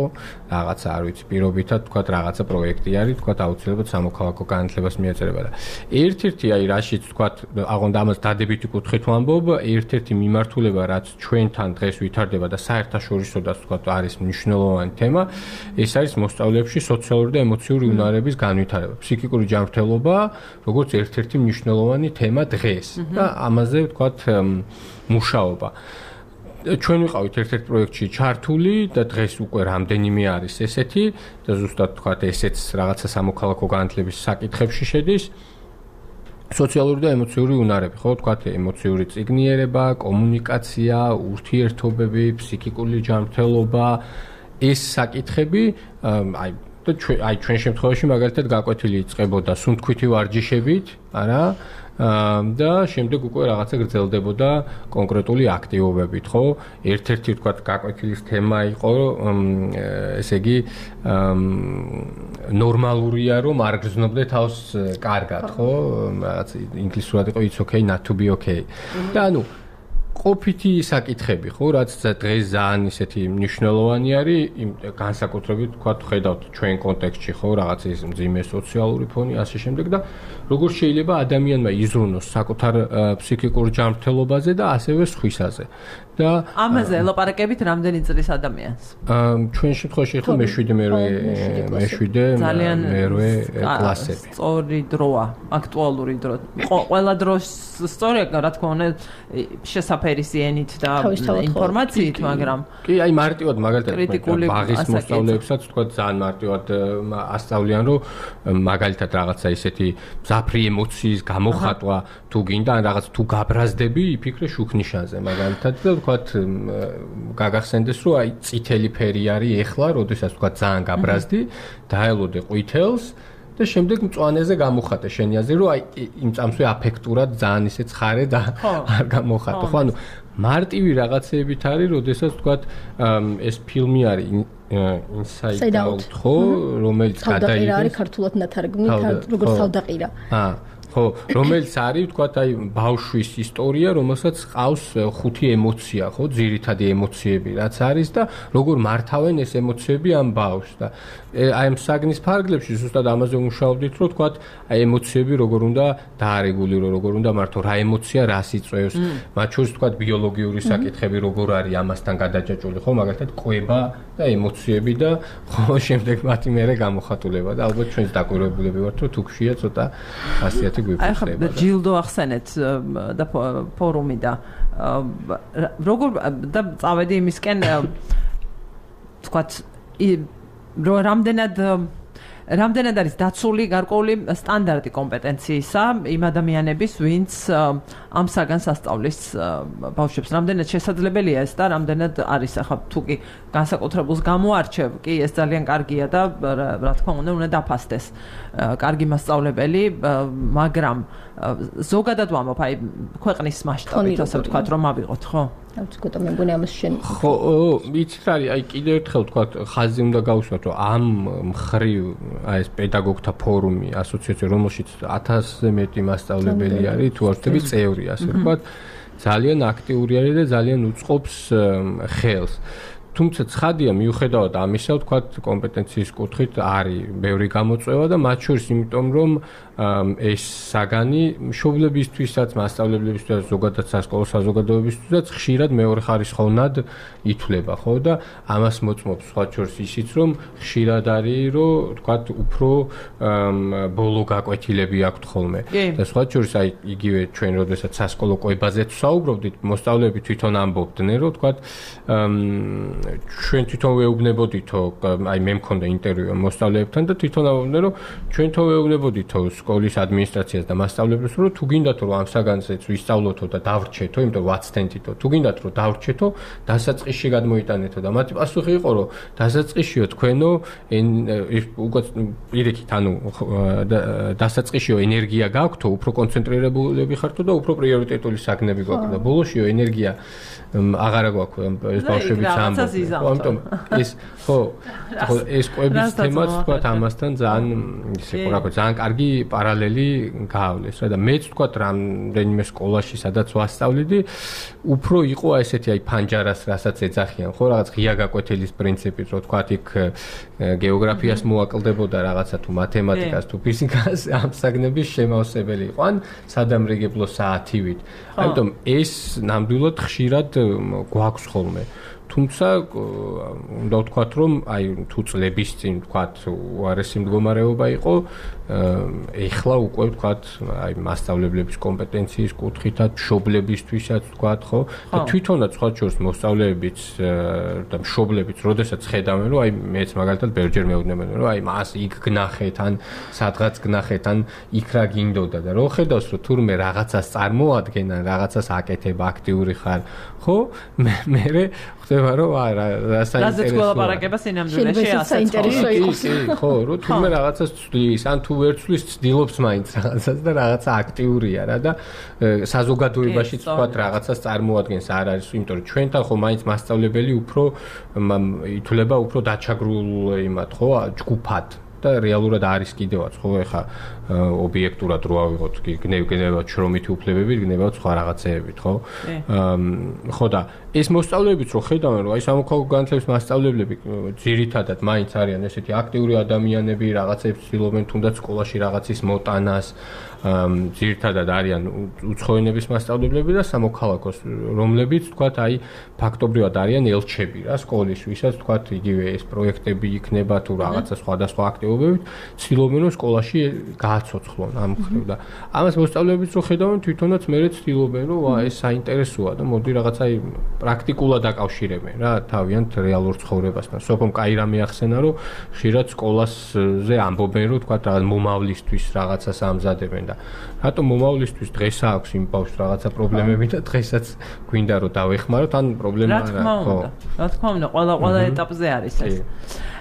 რაღაცა არ ვიცი პირობითად თქვა რაღაცა პროექტი არის თქვა აუცილებლად სამოქალაქო განათლებას მიეწერება და ერთ-ერთი აი რაშიც თქვა აღონდა ამას დადებითი კუთხით ვამბობ ერთ-ერთი მიმართულება რაც ჩვენთან დღეს ვითარდება და საერთაშორისოდაც თქვა არის მნიშვნელოვანი თემა ეს არის მოსწავლეებში სოციალური და ემოციური უნარების განვითარება ფსიქიკური ჯანმრთელობა როგორც ერთ-ერთი მნიშვნელოვანი თემა დღეს და ამაზე ვთქვათ მუშაობა. ჩვენ ვიყავით ერთ-ერთ პროექტში ჩართული და დღეს უკვე რამდენიმე არის ესეთი და ზუსტად ვთქვათ ესეც რაღაცა სამოქალაქო განათლების საკითხებში შედის. სოციალური და ემოციური უნარები, ხო, ვთქვათ ემოციური წიგნიერება, კომუნიკაცია, ურთიერთობები, ფსიქიკური ჯანმრთელობა, ეს საკითხები აი და აი ჩვენ შემთხვევაში მაგალითად გაკვეთილი იწყებოდა სუნთქვითი ვარჯიშებით, არა? და შემდეგ უკვე რაღაცა გრძელდებოდა კონკრეტული აქტივობებით, ხო? ერთ-ერთი ვთქვათ გაკვეთილის თემა იყო, ესე იგი, ნორმალურია რომ არ გრძნობდე თავს კარგად, ხო? რაღაც ინგლისურად იყო it's okay not to be okay. და ანუ ყოფითი საკითხები, ხო, რაც დღეს ძალიან ისეთი მნიშვნელოვანი არის, განსაკუთრებით თქვა ხედავთ ჩვენ კონტექსტში, ხო, რაღაც ის მძიმე სოციალური ფონი, ასე შემდეგ და როგორ შეიძლება ადამიანმა იზრუნოს საკუთარ ფსიქიკურ ჯანმრთელობაზე და ასევე სხვისაზე. და ამაზე ელაპარაკებით რამდენი წლის ადამიანს? ჩვენ შემთხვევაში ხო მეშვიდე მერვე მეშვიდე მერვე კლასები. სწორი დროა, აქტუალური დრო. ყველა დროს სწორია, რა თქმა უნდა, შესაფერისი ენით და ინფორმაციით, მაგრამ კი, აი მარტივად მაგალითად ბაღის მოსწავლეებსაც თქვა ძალიან მარტივად ასწავლიან, რომ მაგალითად რაღაცა ისეთი მძაფრი ემოციის გამოხატვა თუ გინდა, ან რაღაც თუ გაბრაზდები, იფიქრე შუქნიშანზე მაგალითად და ვთქვათ გაგახსენდეს რომ აი წითელი ფერი არის ეხლა, როდესაც ვთქვათ ძალიან გაბრაზდი, დაელოდე ყვითელს და შემდეგ მწვანეზე გამოხატე შენი აზრი რომ აი იმ წამსვე აფექტურად ძალიან ისე ცხარე და არ გამოხატე. ხო, ანუ მარტივი რაღაცეებით არის, როდესაც ვთქვათ ეს ფილმი არის Inside Out, ხო, რომელიც გადაიღეს. თავდაყირა არის ქართულად ნათარგმნი, როგორც თავდაყირა. აა ხო, რომელიც არის, თქვათ, აი ბავშვის ისტორია, რომელსაც ყავს ხუთი ემოცია, ხო, ძირითადი ემოციები, რაც არის და როგორ მართავენ ეს ემოციები ამ ბავშვს და აი ამ საგნის ფარგლებში ზუსტად ამაზე ვმუშაობდით, რომ თქვათ, აი ემოციები როგორ უნდა დაარეგულირო, როგორ უნდა მართო, რა ემოცია რას იწვევს, მათ შორის თქვათ ბიოლოგიური საკითხები როგორ არის ამასთან გადაჭაჭული, ხო, მაგალითად ყვება და ემოციები და ხო, შემდეგ მათი მერე გამოხატულება და ალბათ ჩვენს დაკვირვებულები ვართ, რომ თუ გშია ცოტა ხასიათი აი ხა ჯილდო ახსენეთ და ფორუმი და როგორ და წავედი იმისკენ თქვათ რომ რამდენად რამდენად არის დაცული გარკვეული სტანდარტი კომპეტენციისა იმ ადამიანების, ვინც ამ საგანს ასწავლის ბავშვებს. რამდენად შესაძლებელია ეს და რამდენად არის ახლა თუ კი განსაკუთრებულს გამოარჩევ, კი ეს ძალიან კარგია და რა თქმა უნდა უნდა დაფასდეს კარგი მასწავლებელი, მაგრამ ზოგადად ვამბობ, აი ქვეყნის მასშტაბით ასე ვთქვათ, რომ ავიღოთ, ხო? ცოტა მე მგონი ამას შენ ხო, იცით არის, აი კიდევ ერთხელ ვთქვათ, ხაზი უნდა გავუსვათ, რომ ამ მხრივ აი ეს პედაგოგთა ფორუმი, ასოციაცია, რომელშიც ათასზე მეტი მასწავლებელი არის, თუ არ ვთქვი წევრი, ასე ვთქვათ, ძალიან აქტიური არის და ძალიან უწყობს ხელს. თუმცა ცხადია, მიუხედავად ამისა, ვთქვათ, კომპეტენციის კუთხით არის ბევრი გამოწვევა და მათ შორის იმიტომ, რომ ეს საგანი მშობლებისთვისაც, მასწავლებლებისთვისაც, ზოგადად სასკოლო საზოგადოებისთვისაც ხშირად მეორეხარისხოვნად ითვლება, ხო და ამას მოწმობს სხვა შორის ისიც, რომ ხშირად არის, რომ ვთქვათ, უფრო ბოლო გაკვეთილები აქვთ ხოლმე. და სხვა შორის აი იგივე ჩვენ როდესაც სასკოლო კვებაზეც ვსაუბრობდით, მოსწავლეები თვითონ ამბობდნენ, რომ ვთქვათ, ჩვენ თვითონ ვეუბნებოდითო, აი მე მქონდა ინტერვიუ მოსწავლეებთან და თვითონ ამბობდნენ, რომ ჩვენ თვითონ ვეუბნებოდითო სკოლის ადმინისტრაციას და მასწავლებლებს, რომ თუ გინდათ რომ ამ საგანზეც ვისწავლოთო და დავრჩეთო, იმიტომ ვაცდენთითო, თუ გინდათ რომ დავრჩეთო, დასაწყისში გადმოიტანეთო და მათი პასუხი იყო, რომ დასაწყისშიო თქვენო უკვე პირიქით, ანუ დასაწყისშიო ენერგია გაქვთო, უფრო კონცენტრირებულები ხართო და უფრო პრიორიტეტული საგნები გვაქვს და ბოლოშიო ენერგია აღარა გვაქვს ეს ბავშვებიც ამბობენ. ამიტომ ეს ხო, ხო ეს კვების თემაც თქვათ ამასთან ძალიან ისე რა ქვია, ძალიან კარგი პარალელი გაავლეს რა და მეც თქვათ რამდენიმე სკოლაში სადაც ვასწავლიდი, უფრო იყო ესეთი აი ფანჯარას რასაც ეძახიან, ხო, რაღაც ღია გაკვეთილის პრინციპით, რომ თქვათ იქ გეოგრაფიას მოაკლდებოდა რაღაცა თუ მათემატიკას თუ ფიზიკას, ამ საგნების შემავსებელი იყო, ან სადამრიგებლო საათივით. ამიტომ ეს ნამდვილად ხშირად გვაქვს ხოლმე. თუმცა უნდა ვთქვათ, რომ აი თუ წლების წინ ვთქვათ, უარესი მდგომარეობა იყო, ეხლა უკვე ვთქვათ, აი მასწავლებლების კომპეტენციის კუთხითაც, მშობლებისთვისაც ვთქვათ, ხო? და თვითონაც სხვა შორის მოსწავლეებიც და მშობლებიც, როდესაც ხედავენ, რომ აი მეც მაგალითად ბევრჯერ მეუბნებიან, რომ აი მას იქ გნახეთ, ან სადღაც გნახეთ, ან იქ რა გინდოდა და რო ხედავს, რომ თურმე რაღაცას წარმოადგენ, ან რაღაცას აკეთებ, აქტიური ხარ, ხო? მე მე ხდება რომ არა რა საინტერესოა. რაზეც გველაპარაკება სინამდვილეში ასეც ხო, რომ თურმე რაღაცას ცვლის, ან თუ ვერ ცვლის, ცდილობს მაინც რაღაცას და რაღაცა აქტიურია რა და საზოგადოებაშიც ვთქვათ რაღაცას წარმოადგენს, არ არის, იმიტომ რომ ჩვენთან ხო მაინც მასწავლებელი უფრო ითვლება უფრო დაჩაგრულ იმათ, ხო, ჯგუფად. და რეალურად არის კიდევაც, ხო, ეხა ობიექტურად რო ავიღოთ, კი გნევგნევად შრომითი უფლებებით, გნევად სხვა რაღაცეებით, ხო? ხო და ეს მოსწავლეებიც რო ხედავენ, რომ აი სამოქალაქო განათლების მასწავლებლები ძირითადად მაინც არიან ესეთი აქტიური ადამიანები, რაღაცებს ცდილობენ თუნდაც სკოლაში რაღაცის მოტანას, ძირითადად არიან უცხოენების მასწავლებლები და სამოქალაქოს, რომლებიც თქვათ, აი ფაქტობრივად არიან ელჩები რა სკოლის, ვისაც თქვათ, იგივე ეს პროექტები იქნება თუ რაღაცა სხვადასხვა აქტივობებით, ცდილობენ რომ სკოლაში გააცოცხლონ ამ მხრივ და ამას მოსწავლეებიც რო ხედავენ, თვითონაც მერე ცდილობენ რომ ვა ეს საინტერესოა და მოდი რაღაცა პრაქტიკულად აკავშირებენ რა თავიანთ რეალურ ცხოვრებასთან. სოფომ კაი რამე ახსენა, რომ ხშირად სკოლაზე ამბობენ, რომ თქვათ რაღაც მომავლისთვის რაღაცას ამზადებენ და რატომ მომავლისთვის დღეს აქვს იმ ბავშვს რაღაცა პრობლემები და დღესაც გვინდა რომ დავეხმაროთ, ან პრობლემა არა, ხო. რა თქმა უნდა, ყველა ყველა ეტაპზე არის ეს.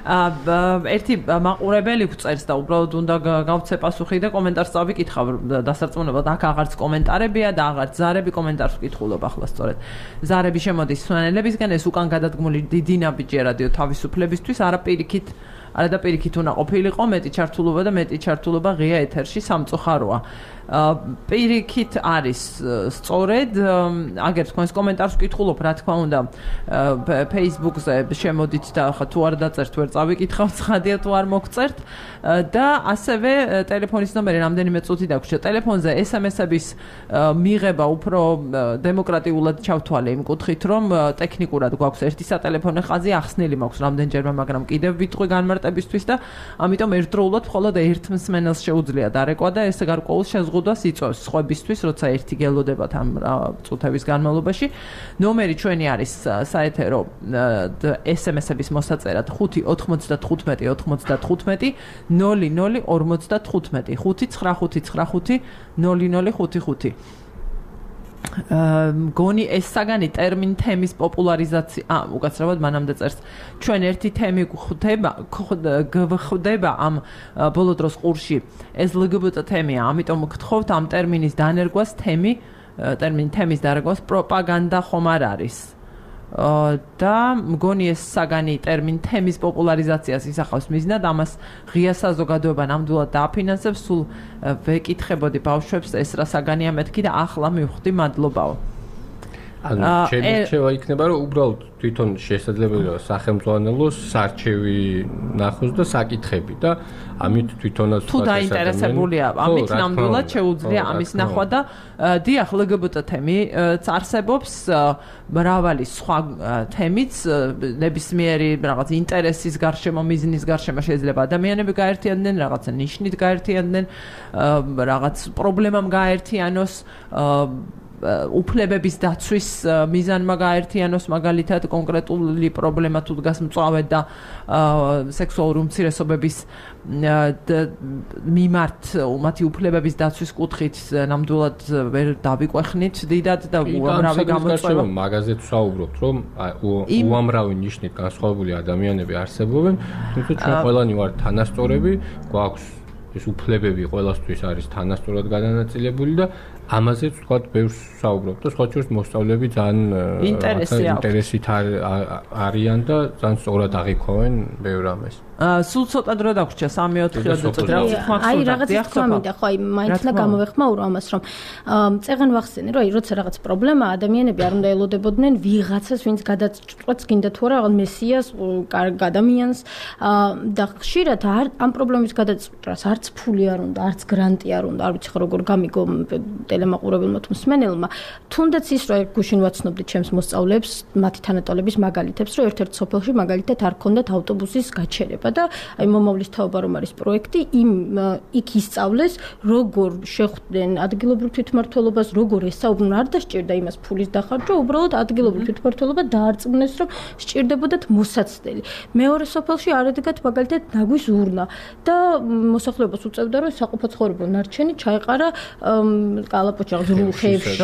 აა ერთი მაყურებელი გვწერს და უბრალოდ უნდა გავცე პასუხი და კომენტარს წავიკითხავ დასარწმუნებლად, აქ აღარც კომენტარებია და აღარც ზარები კომენტარს ვკითხულობ ახლა სწორედ. ზარები შემოდის სვანელებისგან, ეს უკან გადადგმული დიდი ნაბიჯი რადიო თავისუფლებისთვის, არა პირიქით არადაპირიქით უნდა ყოფილიყო მეტი ჩართულობა და მეტი ჩართულობა ღია ეთერში სამწუხაროა. პირიქით არის სწორედ აგერ თქვენს კომენტარს ვკითხულობ რა თქმა უნდა Facebook-ზე შემოდით და ხა თუ არ დაწერთ ვერ წავიკითხავთ ცხადია თუ არ მოგწერთ და ასევე ტელეფონის ნომერი რამდენიმე წუთი დაგვრჩა ტელეფონზე ეს em es-ების მიღება უფრო დემოკრატიულად ჩავთვალე იმ კუთხით რომ ტექნიკურად გვაქვს ერთი სატელეფონო ხაზი ახსნილი მაქვს რამდენჯერმე მაგრამ კიდევ ვიტყვი განმარტებისთვის და ამიტომ ერთდროულად მხოლოდ ერთ მსმენელს შეუძლია დარეკვა და ეს გარკვეულ შეზღუდვას იწვევს სხვებისთვის როცა ერთი გელოდებათ ამ წუთების განმავლობაში ნომერი ჩვენი არის საეთერო ეს em es-ების მოსაწერად ხუთი ოთხმოცდათხუთმეტი ოთხმოცდათხუთმეტი ნული ნული ორმოცდათხუთმეტი ხუთი ცხრა ხუთი ცხრა ხუთი ნული ნული ხუთი ხუთი მგონი ეს საგანი ტერმინ თემის პოპულარიზაცია ა უკაცრავად მანამდე წერს ჩვენ ერთი თემი გვხვდება გვხვდება ამ ბოლო დროს ყურში ეს ელ გი ბი ტი თემია ამიტომ გთხოვთ ამ ტერმინის დანერგვას თემი ტერმინ თემის დანერგვას პროპაგანდა ხომ არ არის და მგონი ეს საგანი ტერმინ თემის პოპულარიზაციას ისახავს მიზნად ამას ღია საზოგადოება ნამდვილად დააფინანსებს სულ ვეკითხებოდი ბავშვებს ეს რა საგანია მეთქი და ახლა მივხვდი მადლობაო ანუ ჩემი რჩევა იქნება რომ უბრალოდ თვითონ შესაძლებელია სახელმწიფოს სარჩევი ნახოს და საკითხები და ამით თვითონაც თუ დაინტერესებულია ამით ნამდვილად შეუძლია ამის ნახვა და დიახ ელ გი ბი ტი თემი წარსებობს მრავალი სხვა თემიც ნებისმიერი რაღაც ინტერესის გარშემო მიზნის გარშემო შეიძლება ადამიანები გაერთიანდნენ რაღაცა ნიშნით გაერთიანდნენ რაღაც პრობლემამ გაერთიანოს უფლებების დაცვის მიზანმა გაერთიანოს მაგალითად კონკრეტული პრობლემა თუ დგას მწვავედ და სექსუალური უმცირესობების მიმართ მათი უფლებების დაცვის კუთხით ნამდვილად ვერ დავიკვეხნით დიდად და უამრავი გამოწვევა მაგაზეც ვსაუბრობთ რომ უამრავი ნიშნით განსხვავებული ადამიანები არსებობენ თუმცა ჩვენ ყველანი ვართ თანასწორები გვაქვს ეს უფლებები ყველასთვის არის თანასწორად გადანაწილებული და ამაზეც ვთქვათ ბევრს ვსაუბრობთ და სხვა შორის მოსწავლეები ძალიან ინტერესით არიან და ძალიან სწორად აღიქვამენ ბევრ ამას სულ ცოტა დრო დაგვრჩა სამი ოთხი ოცდაოთხი აი რაღაც თქვა მინდა ხო აი მაინც და გამოვეხმაურო ამას რომ წეგან ვახსენე რომ აი როცა რაღაც პრობლემა ადამიანები არ უნდა ელოდებოდნენ ვიღაცას ვინც გადაწყვეტს გინდა თუ არა რაღაც მესიას კარგ ადამიანს და ხშირად ამ პრობლემის გადაწყვეტას არც ფული არ უნდა არც გრანტი არ უნდა არ ვიცი ხო როგორ გამიგო ტელემაყურებელმა თუ მსმენელმა თუნდაც ის რომ გუშინ ვაცნობდი ჩემს მოსწავლეებს მათი თანატოლების მაგალითებს რომ ერთ-ერთ სოფელში მაგალითად არ ქონდათ ავტობუსის გაჩერება და აი მომავლის თაობა რომ არის პროექტი იმ იქ ისწავლეს როგორ შეხვდნენ ადგილობრივ თვითმმართველობას როგორ ესაუბრონ არ დასჭირდა იმას ფულის დახარჯვა უბრალოდ ადგილობრივ თვითმმართველობა დაარწმუნეს რომ სჭირდებოდათ მოსაცდელი მეორე სოფელში არ ედგათ მაგალითად ნაგვის ურნა და მოსახლეობას უწევდა რომ საყოფაცხოვრებო ნარჩენი ჩაეყარა კალაპოჩა ზრულ ხეებში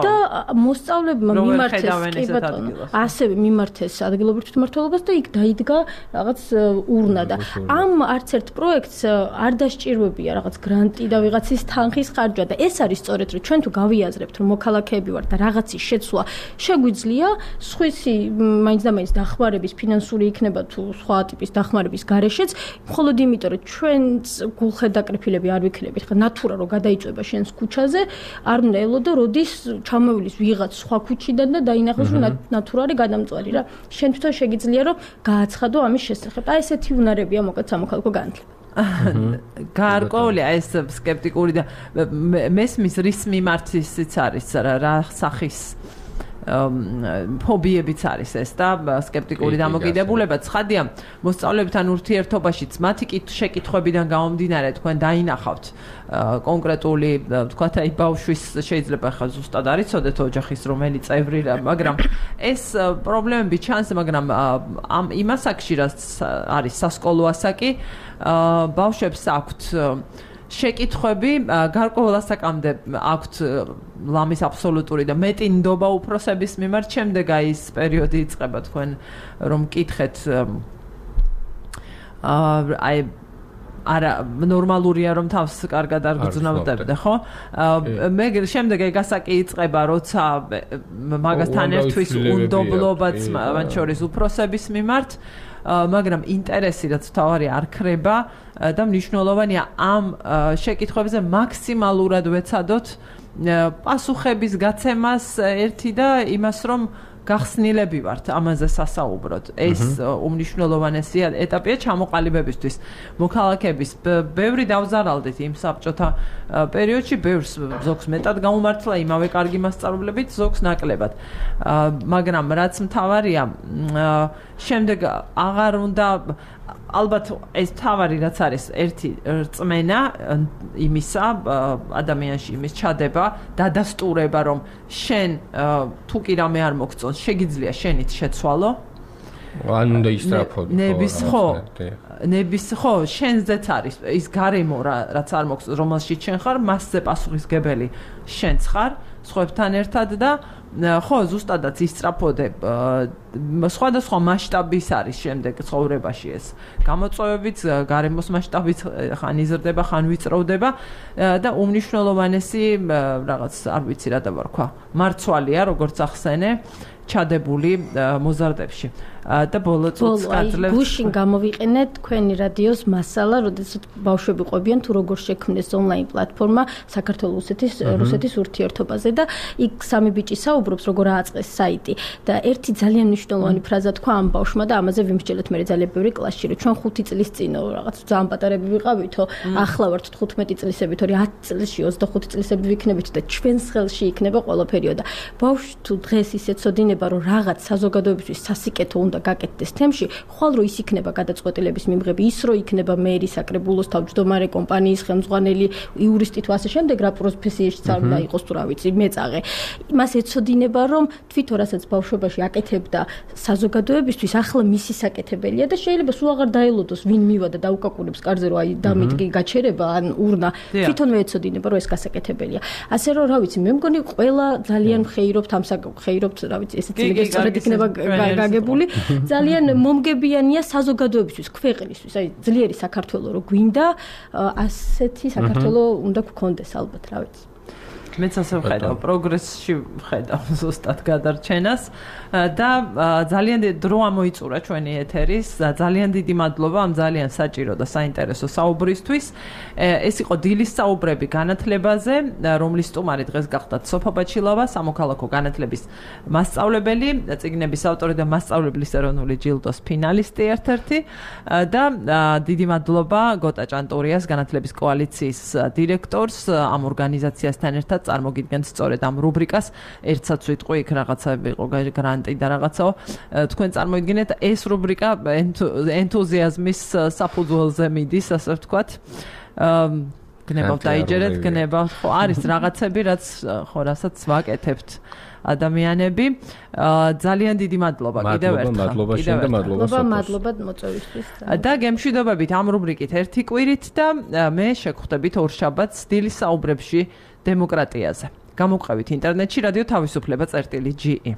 და მოსწავლებმა მიმართეს კი ბატონო ასევე მიმართეს ადგილობრივ თვითმმართველობას და იქ დაიდგა რაღაც ურნა და ამ არც ერთ პროექტს არ დასჭირვებია რაღაც გრანტი და ვიღაცის თანხის ხარჯვა და ეს არის სწორედ რომ ჩვენ თუ გავიაზრებთ რომ მოქალაქეები ვართ და რაღაცის შეცვლა შეგვიძლია სხვისი მაინც და მაინც დახმარების ფინანსური იქნება თუ სხვა ტიპის დახმარების გარეშეც მხოლოდ იმიტომ რომ ჩვენც გულხედაკრიფილები არ ვიქნებით ხა ნატურა რომ გადაიწვება შენს ქუჩაზე არ უნდა ელოდო როდის ჩამოვილის ვიღაც სხვა ქუჩიდან და დაინახოს რომ ნატურა არის გადამწვარი რა შენ თვითონ შეგიძლია რომ გააცხადო ამის შესახებ აი ესეთი უნარებია მოკლედ სამოქალაქო განათლება გარკვეული აი ეს სკეპტიკური და მესმის რის მიმართიც არის რა სახის ფობიებიც არის ეს და სკეპტიკური დამოკიდებულება ცხადია მოსწავლეებთან ურთიერთობაშიც მათი შეკითხვებიდან გამომდინარე თქვენ დაინახავთ კონკრეტული თქვათ აი ბავშვის შეიძლება ხა ზუსტად არ იცოდეთ ოჯახის რომელი წევრი მაგრამ ეს პრობლემები ჩანს მაგრამ ამ იმას აქში რაც არის სასკოლო ასაკი ბავშვებს აქვთ შეკითხვები გარკვეულ ასაკამდე აქვთ ლამის აბსოლუტური და მეტი ნდობა უფროსების მიმართ შემდეგ აი ეს პერიოდი იწყება თქვენ რომ მკითხეთ აი არა ნორმალურია რომ თავს კარგად არ გძნავდებდე ხო მე შემდეგ ეგ ასაკი იწყება როცა მაგასთან ერთვის უნდობლობაც მათ შორის უფროსების მიმართ მაგრამ ინტერესი რაც თავარი არ ქრება და მნიშვნელოვანია ამ შეკითხვებზე მაქსიმალურად ვეცადოთ პასუხების გაცემას ერთი და იმას რომ გახსნილები ვართ ამაზე სასაუბროთ. ეს უმნიშვნელოვანესი ეტაპია ჩამოყალიბებისთვის. მოქალაქეების ბევრი დავზარალდით იმ საბჭოთა პერიოდში, ბევრს ზოგს მეტად გაუმართლა იმავე კარგი მასწავლებლებით, ზოგს ნაკლებად. მაგრამ რაც მთავარია, შემდეგ აღარ უნდა ალბათ ეს თავარი რაც არის ერთი რწმენა იმისა ადამიანში იმის ჩადება დადასტურება რომ შენ თუ კი რამე არ მოგწონს შეგიძლია შენით შეცვალო ან უნდა ისტრაფოდო ნების ხო ნების ხო შენზეც არის ის გარემო რაც არ მოგწონს რომელშიც შენ ხარ მასზე პასუხისგებელი შენც ხარ სხვებთან ერთად და ხო ზუსტადაც ისტრაფოდებ სხვადასხვა მასშტაბის არის შემდეგ ცხოვრებაში ეს გამოწვევებით გარემოს მასშტაბით ხან იზრდება ხან ვიწროვდება და უმნიშვნელოვანესი რაღაც არ ვიცი რა დავარქვა მარცვალია როგორც ახსენე ჩადებული მოზარდებში და ბოლო წუთს გაძლევთ გუშინ გამოვიყენე თქვენი რადიოს მასალა, როდესაც ბავშვები ყვებიან თუ როგორ შექმნეს ონლაინ პლატფორმა საქართველოს რუსეთის რუსეთის ურთიერთობაზე და იქ სამი ბიჭი საუბრობს როგორ ააწყეს საიტი და ერთი ძალიან მნიშვნელოვანი ფრაზა თქვა ამ ბავშვმა და ამაზე ვიმსჯელეთ მე ძალიან ბევრი კლასში რომ ჩვენ ხუთი წლის წინო რაღაც ძალიან პატარები ვიყავითო ახლა ვართ თხუთმეტი წლისები თორე ათი წლში ოცდახუთი წლისები ვიქნებით და ჩვენს ხელში იქნება ყველაფერი და ბავშვი თუ დღეს ისე ცოდინება რომ რაღაც საზოგადოებისთვის სასიკეთო უნდა გაკეთდეს თემში, ხვალ რო ის იქნება გადაწყვეტილების მიმღები, ის რო იქნება მერი, საკრებულოს თავმჯდომარე, კომპანიის ხელმძღვანელი, იურისტი თუ ასე შემდეგ, რა პროფესიაშიც არ უნდა იყოს თუ რა ვიცი, მეწაღე. მას ეცოდინება, რომ თვითონ რასაც ბავშვობაში აკეთებდა საზოგადოებისთვის, ახლა მისი საკეთებელია და შეიძლება სულ აღარ დაელოდოს ვინ მივა და დაუკაკუნებს კარზე, რომ აი დამიდგე გაჩერება ან урნა, თვითონვე ეცოდინება, რომ ეს გასაკეთებელია. ასე რომ რა ვიცი, მე მგონი ყველა ძალიან მხეირობთ ამ მხეირობთ, რა ვიცი, ესეც მეგესწორად იქნება გაგებული. ძალიან მომგებიანია საზოგადოებისთვის, ქვეყნისთვის, აი ძლიერი საქართველოს რო გვინდა, ასეთი საქართველოს უნდა გქონდეს ალბათ, რა ვიცი. მეც ასე ვხედავ, პროგრესში ვხედავ ზუსტად გადარჩენას და ძალიან დიდი დრო ამოიწურა ჩვენი ეთერის, ძალიან დიდი მადლობა ამ ძალიან საჭირო და საინტერესო საუბრისთვის. ეს იყო დილის საუბრები განათლებაზე, რომლის სტუმარი დღეს გახდათ სოფა ბაჩილავა, სამოქალაქო განათლების მასწავლებელი, წიგნების ავტორი და მასწავლებლის ეროვნული ჯილდოს ფინალისტი ერთ-ერთი და დიდი მადლობა გოტა ჭანტურიას, განათლების კოალიციის დირექტორს, ამ ორგანიზაციასთან ერთად წარმოგიდგენთ სწორედ ამ რუბრიკას ერთსაც ვიტყვი იქ რაღაცები იყო გრანტი და რაღაცაო თქვენ წარმოიდგინეთ ეს რუბრიკა ენთუზიაზმის საფუძველზე მიდის ასე ვთქვათ გნებავთ დაიჯერეთ გნებავთ ხო არის რაღაცები რაც ხო რასაც ვაკეთებთ ადამიანები ძალიან დიდი მადლობა კიდევ ერთხელ მადლობა შენ და მადლობა სოფოს მადლობა მოწვევისთვის და გემშვიდობებით ამ რუბრიკით ერთი კვირით და მე შეგხვდებით ორშაბათს დილის საუბრებში დემოკრატიაზე. გამოგყევით ინტერნეტში რადიო თავისუფლება წერტილი ჯი ი